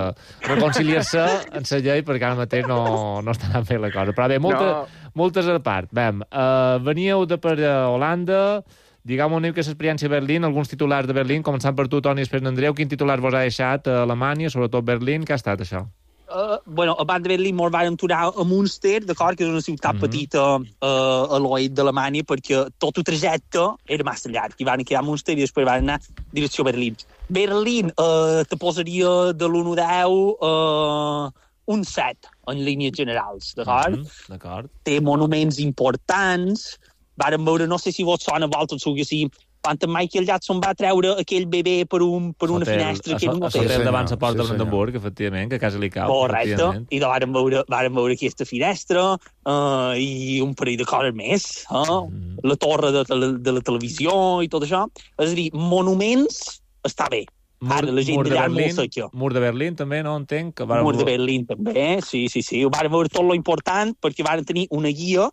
reconciliar-se en la llei perquè ara mateix no, no estarà bé la cosa. Però bé, multa, no. multes a part. Vam, uh, veníeu de per Holanda, digueu-me una mica l'experiència a Berlín, alguns titulars de Berlín, començant per tu, Toni, després d'Andreu, quin titular vos ha deixat a Alemanya, sobretot Berlín, què ha estat això? Uh, bueno, abans de Berlín mos vam aturar a Münster, d'acord, que és una ciutat mm-hmm. petita uh, a l'oest d'Alemanya, perquè tot el trajecte era massa llarg. I van quedar a Münster i després van anar direcció a Berlín. Berlín uh, te posaria de l'u a deu uh, un set, en línies generals, d'acord? Mm-hmm. D'acord. Té monuments importants. Varen veure, no sé si vos sona a vosaltres, o que sí, quan en Michael Jackson va treure aquell bebè per, un, per una hotel, finestra... A, que a, a l'hotel davant la porta sí, de Brandenburg, efectivament, que a casa li cau. Correcte, i de varen veure, varen veure aquesta finestra uh, i un parell de coses més, uh, mm. la torre de, de, de la televisió i tot això. És a dir, monuments està bé. Mur, Ara, la gent mur, de Berlín, mur de Berlín, també, no entenc? Que mur de Berlín, també, sí, sí, sí. Varen veure tot lo important perquè varen tenir una guia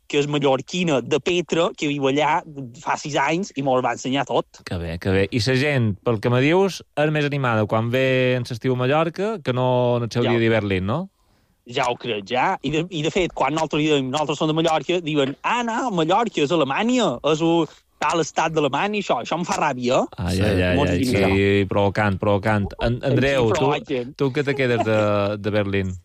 que és mallorquina, de Petra, que viu allà fa sis anys i me'l va ensenyar tot. Que bé, que bé. I la gent, pel que me dius, és més animada quan ve en l'estiu a Mallorca que no en el seu ja. dia de Berlín, no? Ja ho crec, ja. I de, i de fet, quan nosaltres diem, nosaltres som de Mallorca, diuen, ah, no, Mallorca és Alemanya, és un tal estat d'Alemanya, això, això em fa ràbia. Ah, ja, ja, ja, sí, provocant, provocant. En, Andreu, tu, tu que te quedes de, de Berlín?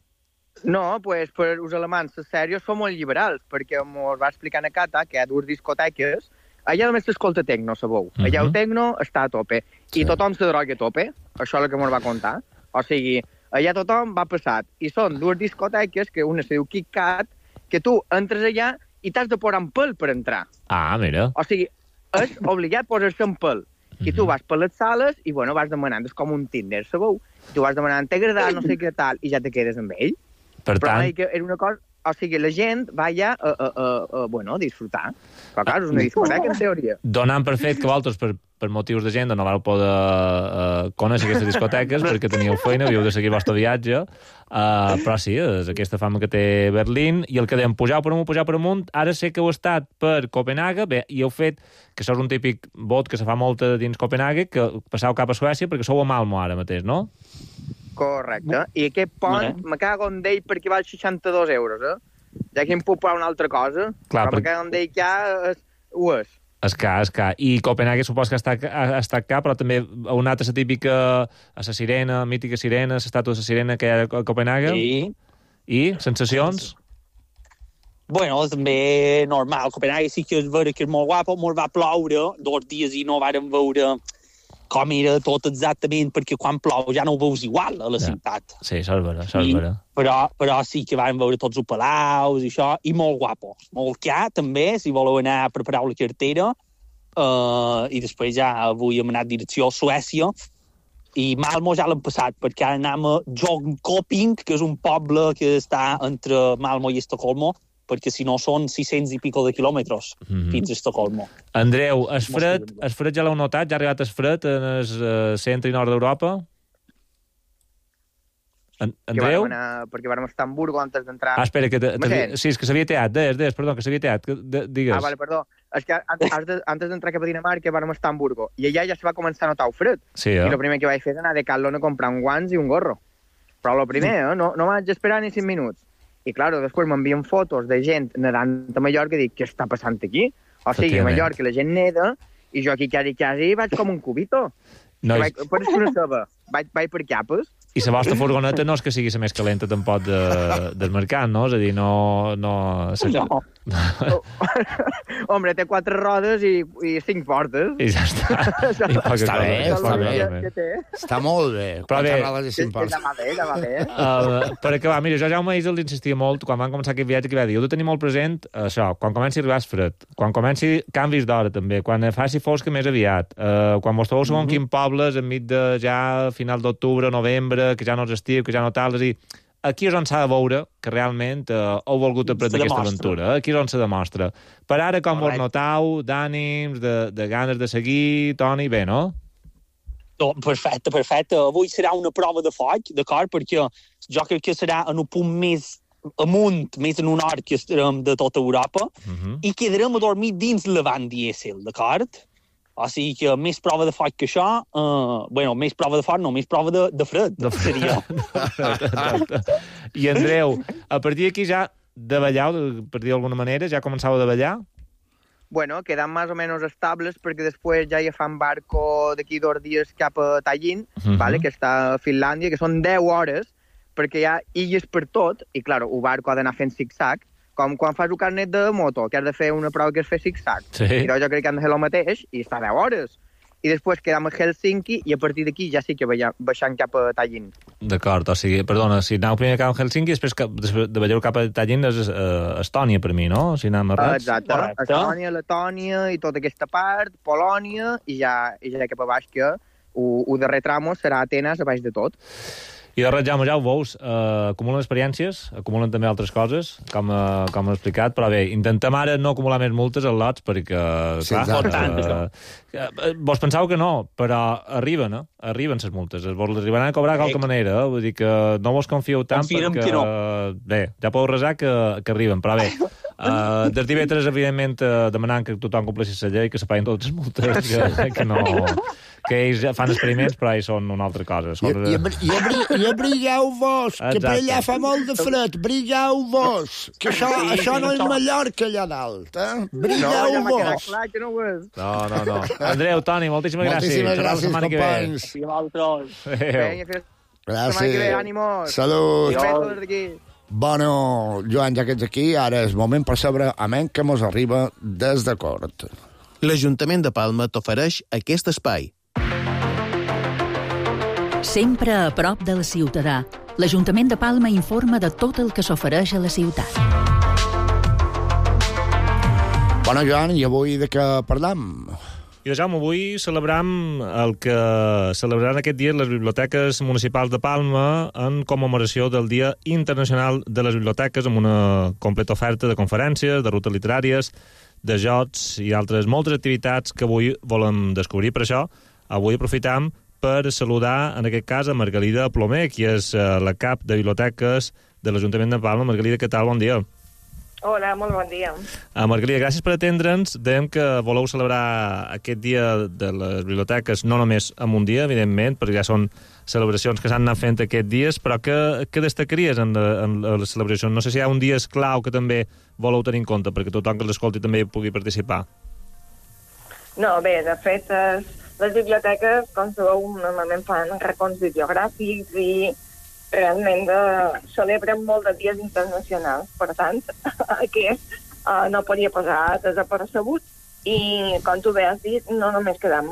No, pues, per els alemans, les sèries són molt liberals, perquè ens va explicar a Cata que hi ha dues discoteques, allà només s'escolta tecno, sabeu. Uh -huh. Allà el tecno està a tope, sí. I tothom se droga a tope, això és el que ens va contar. O sigui, allà tothom va passat, i són dues discoteques, que una se diu Kit Kat, que tu entres allà i t'has de posar en pèl per entrar. Ah, mira. O sigui, és obligat posar-se en pèl. Uh -huh. I tu vas per les sales i, bueno, vas demanant, és com un Tinder, sabeu? Tu vas demanant, t'agrada, no sé què tal, i ja te quedes amb ell. Per Però tant... que era una cosa... O sigui, la gent va allà a, a, a, a, bueno, a disfrutar. Però, clar, és una discoteca, en teoria. Donant per fet que vosaltres, per, per motius d'agenda, no vau poder uh, conèixer aquestes discoteques perquè teníeu feina, havíeu de seguir el vostre viatge. Uh, però sí, és aquesta fama que té Berlín. I el que dèiem, pujar per amunt, pujar per amunt, ara sé que heu estat per Copenhague, bé, i heu fet, que això és un típic vot que se fa molt dins Copenhague, que passeu cap a Suècia perquè sou a Malmo ara mateix, no? Correcte. I aquest pont, me cago en d'ell perquè val seixanta-dos euros, eh? Ja que em puc pagar una altra cosa, clar, però per... me cago en d'ell que ja és... ho és. És car, és car. I Copenhague supos que ha estat, ha estat car, però també heu anat a la típica, a la sirena, mítica sirena, l'estàtua de la sirena que hi ha a Copenhague. Sí. I, sensacions? Bueno, també normal. Copenhague sí que és vera que és molt guapo, molt va ploure, dos dies i no vàrem veure com era tot exactament, perquè quan plou ja no ho veus igual a la ja. ciutat. Sí, això és vera, això és vera. Però, però sí que vam veure tots els palaus i això, i molt guapo. Molt car, també, si voleu anar a preparar la cartera, uh, i després ja avui hem anat direcció a Suècia, i Malmo ja l'hem passat, perquè ara anem a Jönköping, que és un poble que està entre Malmo i Estocolmo, perquè si no són sis-cents i pico de quilòmetres mm-hmm. fins a Estocolmo. Andreu, el fred, el fred ja l'heu notat? Ja ha arribat el fred en el uh, centre i nord d'Europa? En, Andreu? Anar, perquè vam estar a Hamburgo antes d'entrar... Ah, espera, que te, te, sí, és que s'havia teat, des, des, perdó, que s'havia teat, que, de, digues. Ah, vale, perdó. És que antes d'entrar cap a Dinamarca vam estar a Hamburgo, i allà ja se va començar a notar el fred. Sí, eh? I el primer que vaig fer és anar a Decathlon a comprar un guants i un gorro. Però el primer, eh? no, no vaig esperar ni cinc minuts. I, clar, després m'envien fotos de gent nedant a Mallorca i dic, què està passant aquí? O sigui, a Mallorca la gent neda i jo aquí quasi, quasi vaig com un cubito. No, vaig, per una ceba, vaig, vaig per capes. I la vostra furgoneta no és que sigui la més calenta tampoc de, del mercat, no? És a dir, no... No. no. Hombre, té quatre rodes i, i cinc portes. I ja està. I està bé, està bé. Està molt bé. Però bé, rodes i cinc portes. Ja va bé, ja va bé. Uh, per acabar, mira, jo Jaume Isel l'insistia molt quan van començar aquest viatge, que va dir, heu de tenir molt present això, quan comenci a arribar el fred, quan comenci canvis d'hora també, quan faci fosca més aviat, uh, quan vos trobeu segons mm -hmm. quin pobles enmig de ja final d'octubre, novembre, que ja no és estiu, que ja no tal, és a dir, aquí és on s'ha de veure que realment uh, heu volgut aprendre aquesta aventura. Eh? Aquí és on se demostra. Per ara, com vos notau, d'ànims, de, de ganes de seguir, Toni, bé, no? No, perfecte, perfecte. Avui serà una prova de foc, d'acord? Perquè jo crec que serà en un punt més amunt, més en un hort que estarem de tota Europa, uh-huh. i quedarem a dormir dins la van dièsel, d'acord? O sigui que més prova de foc que això, uh, bueno, més prova de foc, no, més prova de, de fred, de fred. seria. I Andreu, a partir d'aquí ja de ballar, per dir d'alguna manera, ja començava a ballar? Bueno, quedan más o menos estables perquè després ja hi fan barco d'aquí dos dies cap a Tallinn, uh-huh. vale, que està a Finlàndia, que són deu hores, perquè hi ha illes per tot, i, clar, el barco ha d'anar fent zig-zag, com quan fas un carnet de moto, que has de fer una prova que és fer zig-zag. Sí. I jo crec que han de fer el mateix, i està deu hores. I després quedam a Helsinki, i a partir d'aquí ja sí que baixant cap a Tallinn. D'acord, o sigui, perdona, si aneu primer cap a Helsinki, després, cap, després de veieu cap a Tallinn és uh, Estònia, per mi, no? Si anem errats. Exacte, Correcte. Estònia, Letònia i tota aquesta part, Polònia, i ja, i ja cap a baix, que el darrer tramo serà Atenes, a baix de tot. I de res, Jaume, ja ho veus, uh, acumulen experiències, acumulen també altres coses, com, uh, com he explicat, però bé, intentem ara no acumular més multes als lots, perquè, sí, clar, uh, uh, vos penseu que no, però arriben, eh? Arriben les multes, vos les arribaran a cobrar de qualque manera, eh? Vull dir que no vos confieu tant, Confiem perquè, que no. bé, ja podeu resar que, que arriben, però bé, uh, des divendres, evidentment, uh, demanant que tothom compleixi la llei, que se paguen totes les multes, que, que no... que ells fan experiments, però ells són una altra cosa. Són... I, i, i, abri, i abrigueu-vos, que per allà fa molt de fred, brigueu-vos, que això, sí, això no és Mallorca allà dalt, eh? Brigueu-vos. No, no, no, no. Andreu, Toni, moltíssimes gràcies. Moltíssimes gràcies, companys. Gràcies. Salut. Bueno, Joan, ja que ets aquí, ara és moment per saber a men que mos arriba des de Cort. L'Ajuntament de Palma t'ofereix aquest espai. Sempre a prop del ciutadà, l'Ajuntament de Palma informa de tot el que s'ofereix a la ciutat. Bueno, Joan, i avui de què parlam? I de Jaume, avui celebram el que celebraran aquest dia les biblioteques municipals de Palma en commemoració del Dia Internacional de les Biblioteques, amb una completa oferta de conferències, de rutes literàries, de jocs i altres moltes activitats que avui volem descobrir. Per això, avui aprofitam per saludar, en aquest cas, a Margalida Plomer, qui és la cap de biblioteques de l'Ajuntament de Palma. Margalida, què tal? Bon dia. Hola, molt bon dia. Uh, Margalida, gràcies per atendre'ns. Dèiem que voleu celebrar aquest dia de les biblioteques no només en un dia, evidentment, perquè ja són celebracions que s'han anat fent aquests dies, però què, què destacaries en, la, en les celebracions? No sé si hi ha un dia esclau que també voleu tenir en compte, perquè tothom que l'escolti també pugui participar. No, bé, de fet, les biblioteques, com sabeu, normalment fan racons bibliogràfics i realment de, celebren molt de dies internacionals. Per tant, aquest uh, no podia passar desapercebut. I, com tu bé has dit, no només quedam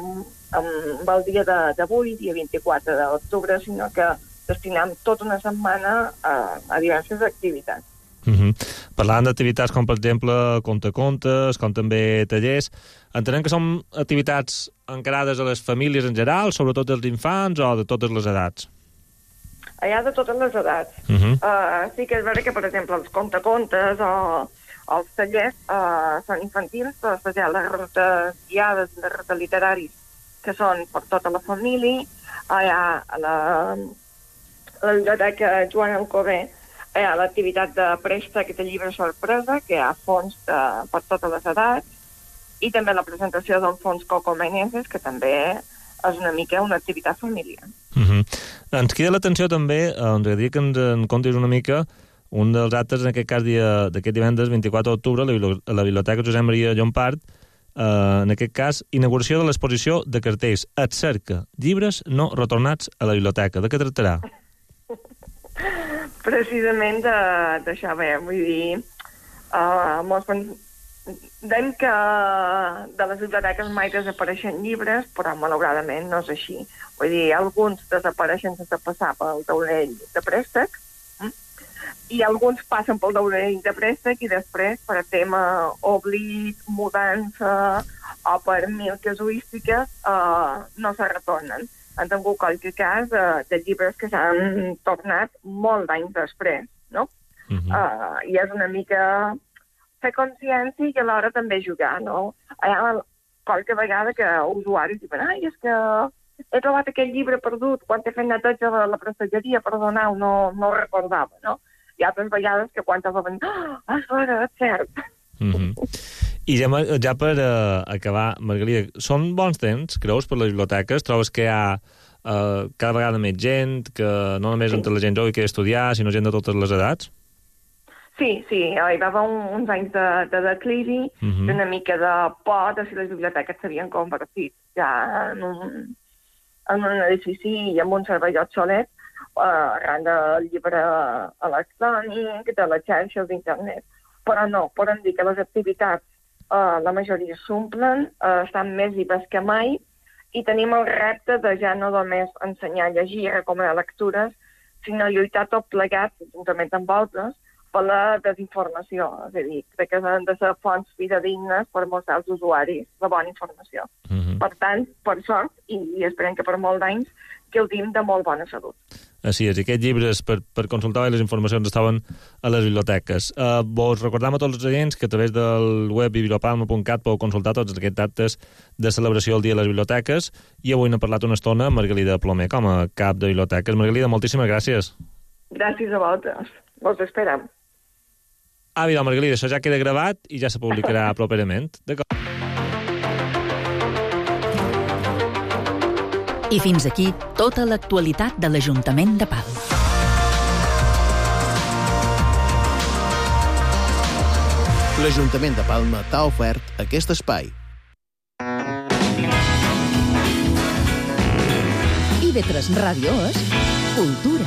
amb el dia d'avui, dia vint-i-quatre d'octubre, sinó que destinam tota una setmana a, a diverses activitats. Uh-huh. Parlant d'activitats com, per exemple, contacontes, com també tallers, entenem que són activitats encarades a les famílies en general, sobretot dels infants o de totes les edats? Hi ha de totes les edats. Uh-huh. uh, sí que és vera que, per exemple, els contacontes o els tallers uh, són infantils, però després hi ha les rutes guiades de rutes literaris que són per tota la família. Uh, hi ha la, la biblioteca Joan Alcover, hi ha l'activitat de préstec de llibre sorpresa, que hi ha fons de, per totes les edats, i també la presentació d'un fons Coco Meneses, que també és una mica una activitat familiar. Uh-huh. Ens crida l'atenció també, ens agradaria que ens en contis una mica, un dels actes, en aquest cas, dia, d'aquest divendres, vint-i-quatre d'octubre, a la Biblioteca Josep Maria Llompart, Uh, en aquest cas, inauguració de l'exposició de cartells Et cerca, llibres no retornats a la biblioteca. De què tractarà? Precisament d'això, bé, vull dir, uh, molts dèiem que de les biblioteques mai desapareixen llibres, però malauradament no és així. Vull dir, alguns desapareixen sense passar pel taulell de préstec, i alguns passen pel taulell de préstec i després, per tema oblit, mudança o per mil casuístiques, uh, no se retornen. Han tingut qualque cas uh, de llibres que s'han tornat molt d'anys després, no? Uh-huh. Uh, I és una mica fer consciència i alhora també jugar, no? Hi ha qualque vegada que usuaris diuen ai, és que he trobat aquest llibre perdut quan he fet neteja de la prestatgeria, perdoneu, no, no ho recordava, no? Hi ha altres vegades que quan t'has de ah, és vera, és cert. Mm-hmm. I ja, ja per uh, acabar, Margalida, són bons temps, creus, per les biblioteques? Trobes que hi ha uh, cada vegada més gent, que no només sí. entre la gent jove que estudiar, sinó gent de totes les edats? Sí, sí, hi va haver un, uns anys de, de declivi, mm-hmm. una mica de por de si les biblioteques s'havien convertit ja en un, en un edifici i en un servei obsolet, Uh, arran del llibre electrònic, de les xarxes d'internet. Però no, podem dir que les activitats, uh, la majoria s'omplen, uh, estan més vives que mai, i tenim el repte de ja no només ensenyar a llegir i recomanar lectures, sinó lluitar tot plegats, juntament amb altres, per la desinformació. És a dir, crec que han de ser fonts fidedignes per mostrar als usuaris la bona informació. Mm-hmm. Per tant, per sort, i, i esperem que per molt d'anys, gaudim de molt bona salut. Així és, i aquests llibres per, per consultar les informacions estaven a les biblioteques. Uh, vos recordam a tots els agents que a través del web bibliopalma punt cat podeu consultar tots aquests actes de celebració del Dia de les Biblioteques, i avui n'ha parlat una estona Margalida Plomer com a cap de biblioteques. Margalida, moltíssimes gràcies. Gràcies a vosaltres. Vos esperam. Ah, mira, Margalida, això ja queda gravat i ja se publicarà properament. D'acord. I fins aquí tota l'actualitat de l'Ajuntament de Palma. L'Ajuntament de Palma t'ha ofert aquest espai. I ve tres Ràdio és Cultura.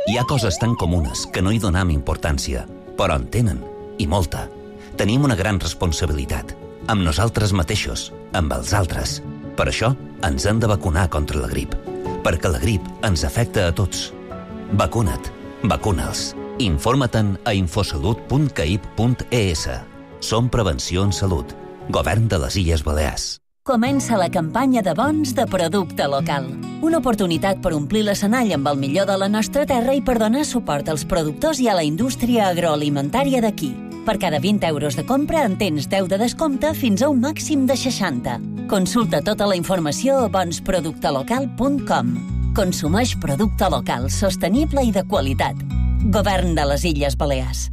Hi ha coses tan comunes que no hi donam importància, però en tenen, i molta. Tenim una gran responsabilitat, amb nosaltres mateixos, amb els altres. Per això ens hem de vacunar contra la grip, perquè la grip ens afecta a tots. Vacuna't, vacuna'ls. Informa-te'n a infosalut punt caip punt es. Som Prevenció en Salut, Govern de les Illes Balears. Comença la campanya de bons de producte local. Una oportunitat per omplir l'escenari amb el millor de la nostra terra i per donar suport als productors i a la indústria agroalimentària d'aquí. Per cada vint euros de compra en tens deu de descompte fins a un màxim de seixanta. Consulta tota la informació a bons producte local punt com. Consumeix producte local, sostenible i de qualitat. Govern de les Illes Balears.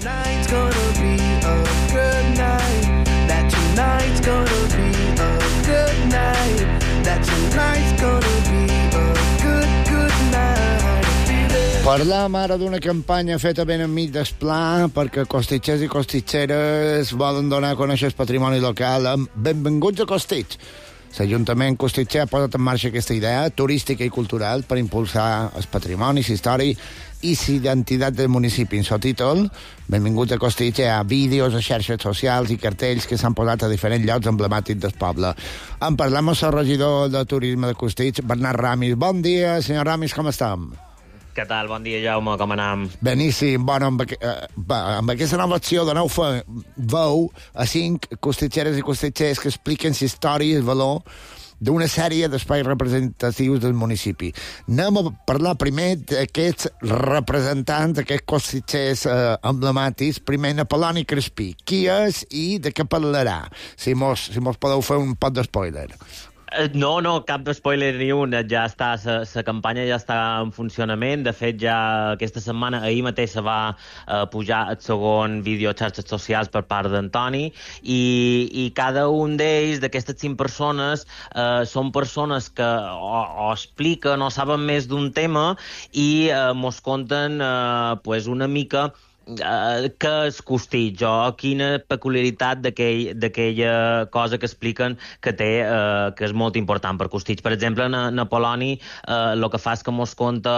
Tonight's gonna be a good night. That tonight's gonna be a good night. That tonight's gonna be a good, good night. Parlam ara d'una campanya feta ben enmig del pla perquè costitxers i costitxeres volen donar a conèixer el patrimoni local. Benvinguts a Costitx. L'Ajuntament Costitxer ha posat en marxa aquesta idea turística i cultural per impulsar el patrimoni, la història i l'identitat del municipi. En el títol, benvinguts a Costitx, hi ha vídeos a xarxes socials i cartells que s'han posat a diferents llocs emblemàtics del poble. En parlem amb el regidor de turisme de Costitx, Bernat Ramis. Bon dia, senyor Ramis, com estem? Què tal? Bon dia, Jaume, com anem? Beníssim. Bueno, amb, aqu eh, amb aquesta nova acció doneu veu a cinc costitxeres i costitxers que expliquen la història i el valor d'una sèrie d'espais representatius del municipi. Anem a parlar primer d'aquests representants, d'aquests costitxers eh, emblemàtics. Primer, Apol·loni Crespí. Qui és i de què parlarà? Si mos, si mos podeu fer un pot d'espoiler. No, no, cap spoiler ni un. Ja està, la campanya ja està en funcionament. De fet, ja aquesta setmana, ahir mateix se va eh, pujar el segon vídeo a xarxes socials per part d'Antoni i, i cada un d'ells, d'aquestes cinc persones, eh, són persones que o, o expliquen o saben més d'un tema i eh, mos conten eh, pues una mica Uh, què és Costitx o quina peculiaritat d'aquella cosa que expliquen que té, uh, que és molt important per Costitx. Per exemple, na, Napoloni uh, el que fa és que mos conta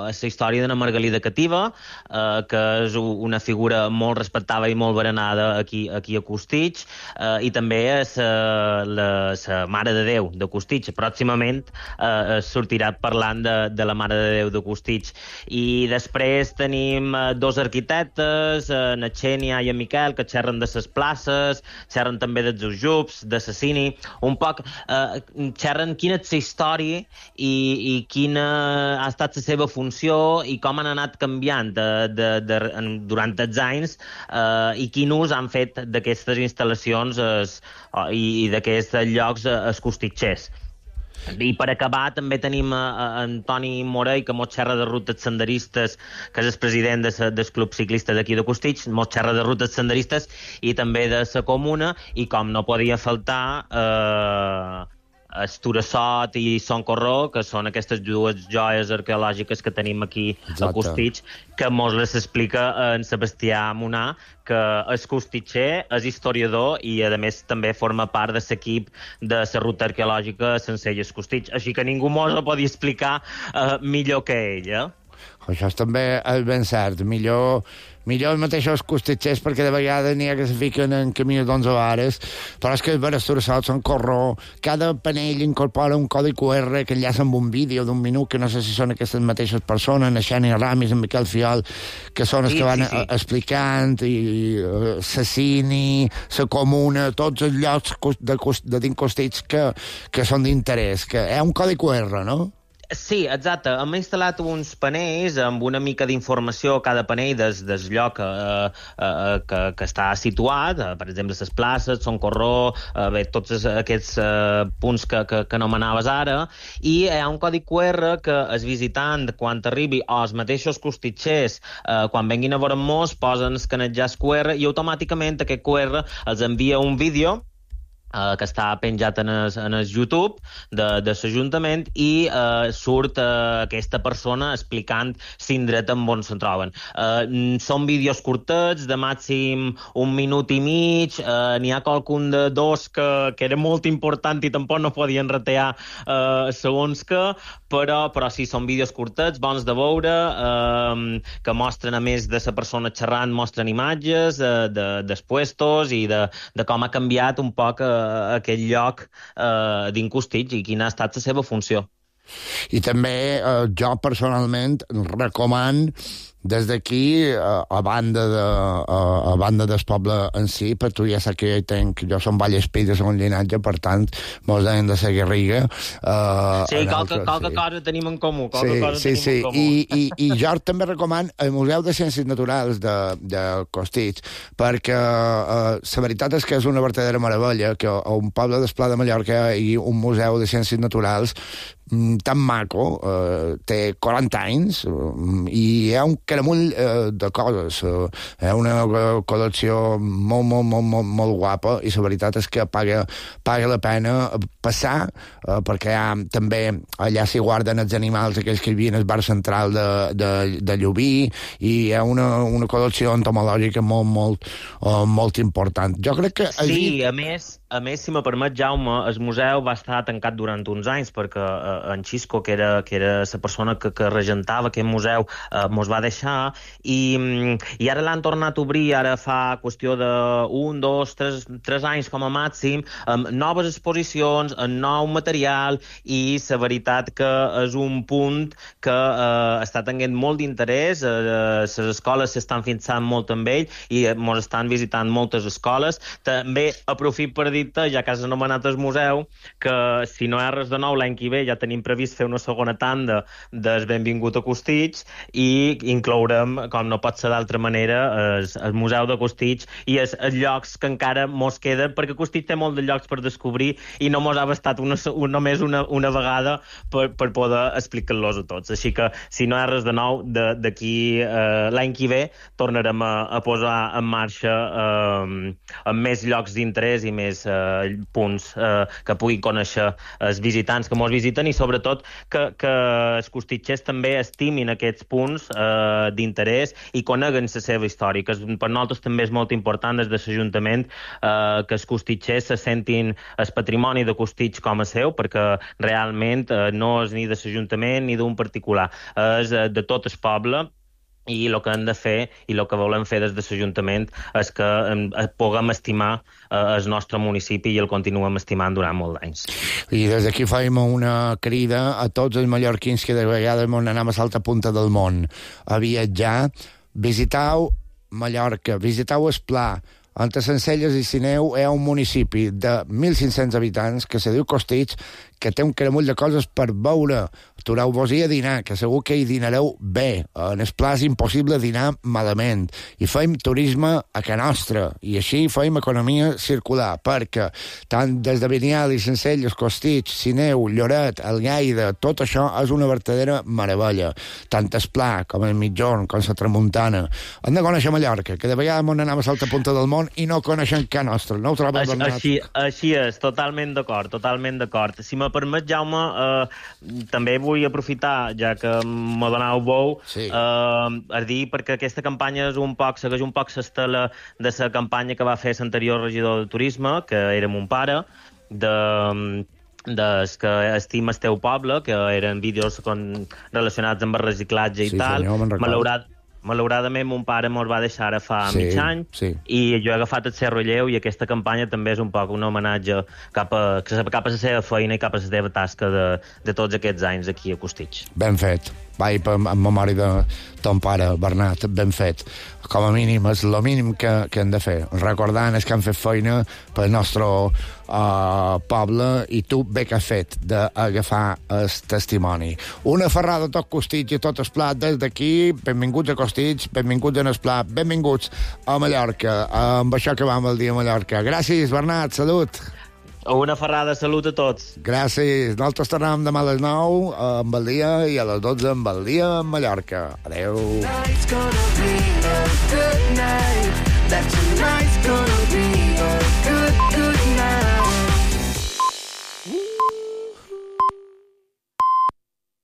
la història d'una Margalida cativa, uh, que és una figura molt respectada i molt berenada aquí, aquí a Costitx, uh, i també és uh, la, la Mare de Déu de Costitx. Pròximament uh, sortirà parlant de, de la Mare de Déu de Costitx. I després tenim uh, dos arquitectes, en Xènia i en Miquel, que xerren de les places, xerren també dels Ujups, de Sassini, un poc eh, xerren quina és la història i, i quina ha estat la seva funció i com han anat canviant de, de, de, durant els anys eh, i quin ús han fet d'aquestes instal·lacions es, i, i d'aquests llocs es costitxers. I per acabar també tenim a, a Antoni Morell, que mos xerra de rutes senderistes, que és el president de sa, del club ciclista d'aquí de Costitx, mos xerra de rutes senderistes i també de la comuna, i com no podia faltar eh, Esturassot i Son Corró, que són aquestes dues joies arqueològiques que tenim aquí Exacte. a Costitx, que mos les explica en Sebastià Munà, que és costitxer, és historiador i, a més, també forma part de l'equip de la ruta arqueològica Sencelles Costitx. Així que ningú mos ho podia explicar uh, millor que ell, eh? Això és també és ben cert. Millor, millor els mateixos costitxers, perquè de vegades n'hi ha que se fiquen en camí d'onze vares, però és que els Esturassot són Corró. Cada panell incorpora un codi Q R que enllaça amb un vídeo d'un minut, que no sé si són aquestes mateixes persones, en Xènia Ramis, en Miquel Fiol, que són els sí, que van sí, sí. explicant, i uh, Sassini, la comuna, tots els llocs de, de dins Costitx que, que són d'interès, que hi ha un codi Q R, no? Sí, exacte. Hem instal·lat uns panells amb una mica d'informació a cada panell des, des lloc eh, eh, que, que està situat, eh, per exemple, les places, Son Corró, eh, bé, tots aquests eh, punts que, que, que nomenaves ara, i hi ha un codi Q R que el visitant, quan arribi, o els mateixos costitxers, eh, quan venguin a veure'm mos, posen escanetjar el Q R i automàticament aquest Q R els envia un vídeo Uh, que està penjat en el, en el YouTube de, de l'Ajuntament i uh, surt uh, aquesta persona explicant l'indret en on se'n troben. Uh, són vídeos curtets, de màxim un minut i mig, uh, n'hi ha qualcun de dos que, que era molt important i tampoc no podien retear uh, segons que, però, però sí, són vídeos curtets, bons de veure, uh, que mostren, a més de la persona xerrant, mostren imatges uh, de, dels puestos i de, de com ha canviat un poc uh, aquest lloc eh, dins Costitx i quina ha estat la seva funció. I també eh, jo personalment recomano des d'aquí, a, a banda de, a, a banda del poble en si, per tu ja saps que jo tenc, jo som Vallespí de segon llinatge, per tant, mos deien de la Garriga. Uh, sí, qualque, qualque sí. cosa tenim en comú. Sí, sí, sí. En comú. I, i, I jo també recomano el Museu de Ciències Naturals de, de Costitx, perquè uh, la veritat és que és una vertadera meravella que a un poble del Pla de Mallorca hi ha un museu de ciències naturals tan maco, eh, té quaranta anys eh, i hi ha un caramull eh, de coses. Eh, hi ha una col·lecció molt, molt, molt, molt, molt guapa i la veritat és que paga, paga la pena passar, eh, perquè hi ha, també allà s'hi guarden els animals aquells que hi havia al bar central de, de, de Llubí, i hi ha una, una col·lecció entomològica molt, molt, eh, molt important. Jo crec que... Sí, allí... a més... A més, si me permet, Jaume, el museu va estar tancat durant uns anys perquè eh, en Xisco, que era, que era la persona que, que regentava aquest museu, eh, mos va deixar i, i ara l'han tornat a obrir, ara fa qüestió d'un, dos, tres, tres anys com a màxim, amb noves exposicions, amb nou material, i la veritat que és un punt que eh, està tenint molt d'interès, eh, les escoles s'estan fixant molt amb ell i mos estan visitant moltes escoles. També aprofit per dir dit, ja que has anomenat el museu, que si no hi ha res de nou l'any que ve ja tenim previst fer una segona tanda del Benvingut a Costitx i inclourem, com no pot ser d'altra manera, el, el Museu de Costitx i els, els llocs que encara mos queden, perquè Costitx té molt de llocs per descobrir i no mos ha bastat una, una, només una, una vegada per, per poder explicar-los a tots. Així que, si no hi ha res de nou, d'aquí eh, l'any que ve tornarem a, a posar en marxa eh, amb més llocs d'interès i més eh, punts eh, que puguin conèixer els visitants que mos visiten i sobretot que, que els costitxers també estimin aquests punts eh, d'interès i coneguen la seva història, que per nosaltres també és molt important des de l'Ajuntament eh, que els costitxers se sentin el patrimoni de Costitx com a seu, perquè realment eh, no és ni de l'Ajuntament ni d'un particular, és eh, de tot el poble. I el que hem de fer i el que volem fer des de l'Ajuntament és que eh, puguem estimar eh, el nostre municipi i el continuem estimant durant molts anys. I des d'aquí faim una crida a tots els mallorquins que de vegades mos anem a l'altra punta del món a viatjar. Visitau Mallorca, visitau el Pla. Entre Sencelles i Sineu hi ha un municipi de mil cinc-cents habitants que se diu Costitx, que té un caramull de coses per veure. Atureu-vos-hi a dinar, que segur que hi dinareu bé. En el Pla és impossible dinar malament. I feim turisme a ca nostra. I així feim economia circular, perquè tant des de Vinial i Sencelles, Costitx, Sineu, Lloret, Algaida, tot això és una vertadera meravella. Tant el Pla com el Mitjorn, com la Tramuntana. Hem de conèixer Mallorca, que de vegades m'on anem a l'altra punta del món i no coneixem ca nostra. No ho trobem, Bernat? Així, així és, totalment d'acord, totalment d'acord. Si me permet, Jaume, eh, també vull aprofitar, ja que m'ho donau veu, sí. eh, a dir, perquè aquesta campanya és un poc, segueix un poc l'estela de la campanya que va fer l'anterior regidor de Turisme, que era mon pare, de des que estima el teu poble, que eren vídeos con, relacionats amb el reciclatge i sí, tal. Senyor, Malaurat, malauradament, mon pare mos va deixar ara fa sí, mig any sí. i jo he agafat el seu relleu i aquesta campanya també és un poc un homenatge cap a, cap a la seva feina i cap a la seva tasca de, de tots aquests anys aquí a Costitx. Ben fet. Vai en memòria de ton pare, Bernat, ben fet. Com a mínim, és el mínim que, que hem de fer. Recordant els que han fet feina pel nostre uh, poble i tu bé que has fet d'agafar el testimoni. Una ferrada a tot Costitx i tot el Pla des d'aquí. Benvinguts a Costitx, benvinguts en el Pla, benvinguts a Mallorca. Amb això que vam el dia a Mallorca. Gràcies, Bernat, salut. Una ferrada, salut a tots. Gràcies. Nosaltres tornem demà a les nou amb el dia i a les dotze amb el dia a Mallorca. Adéu.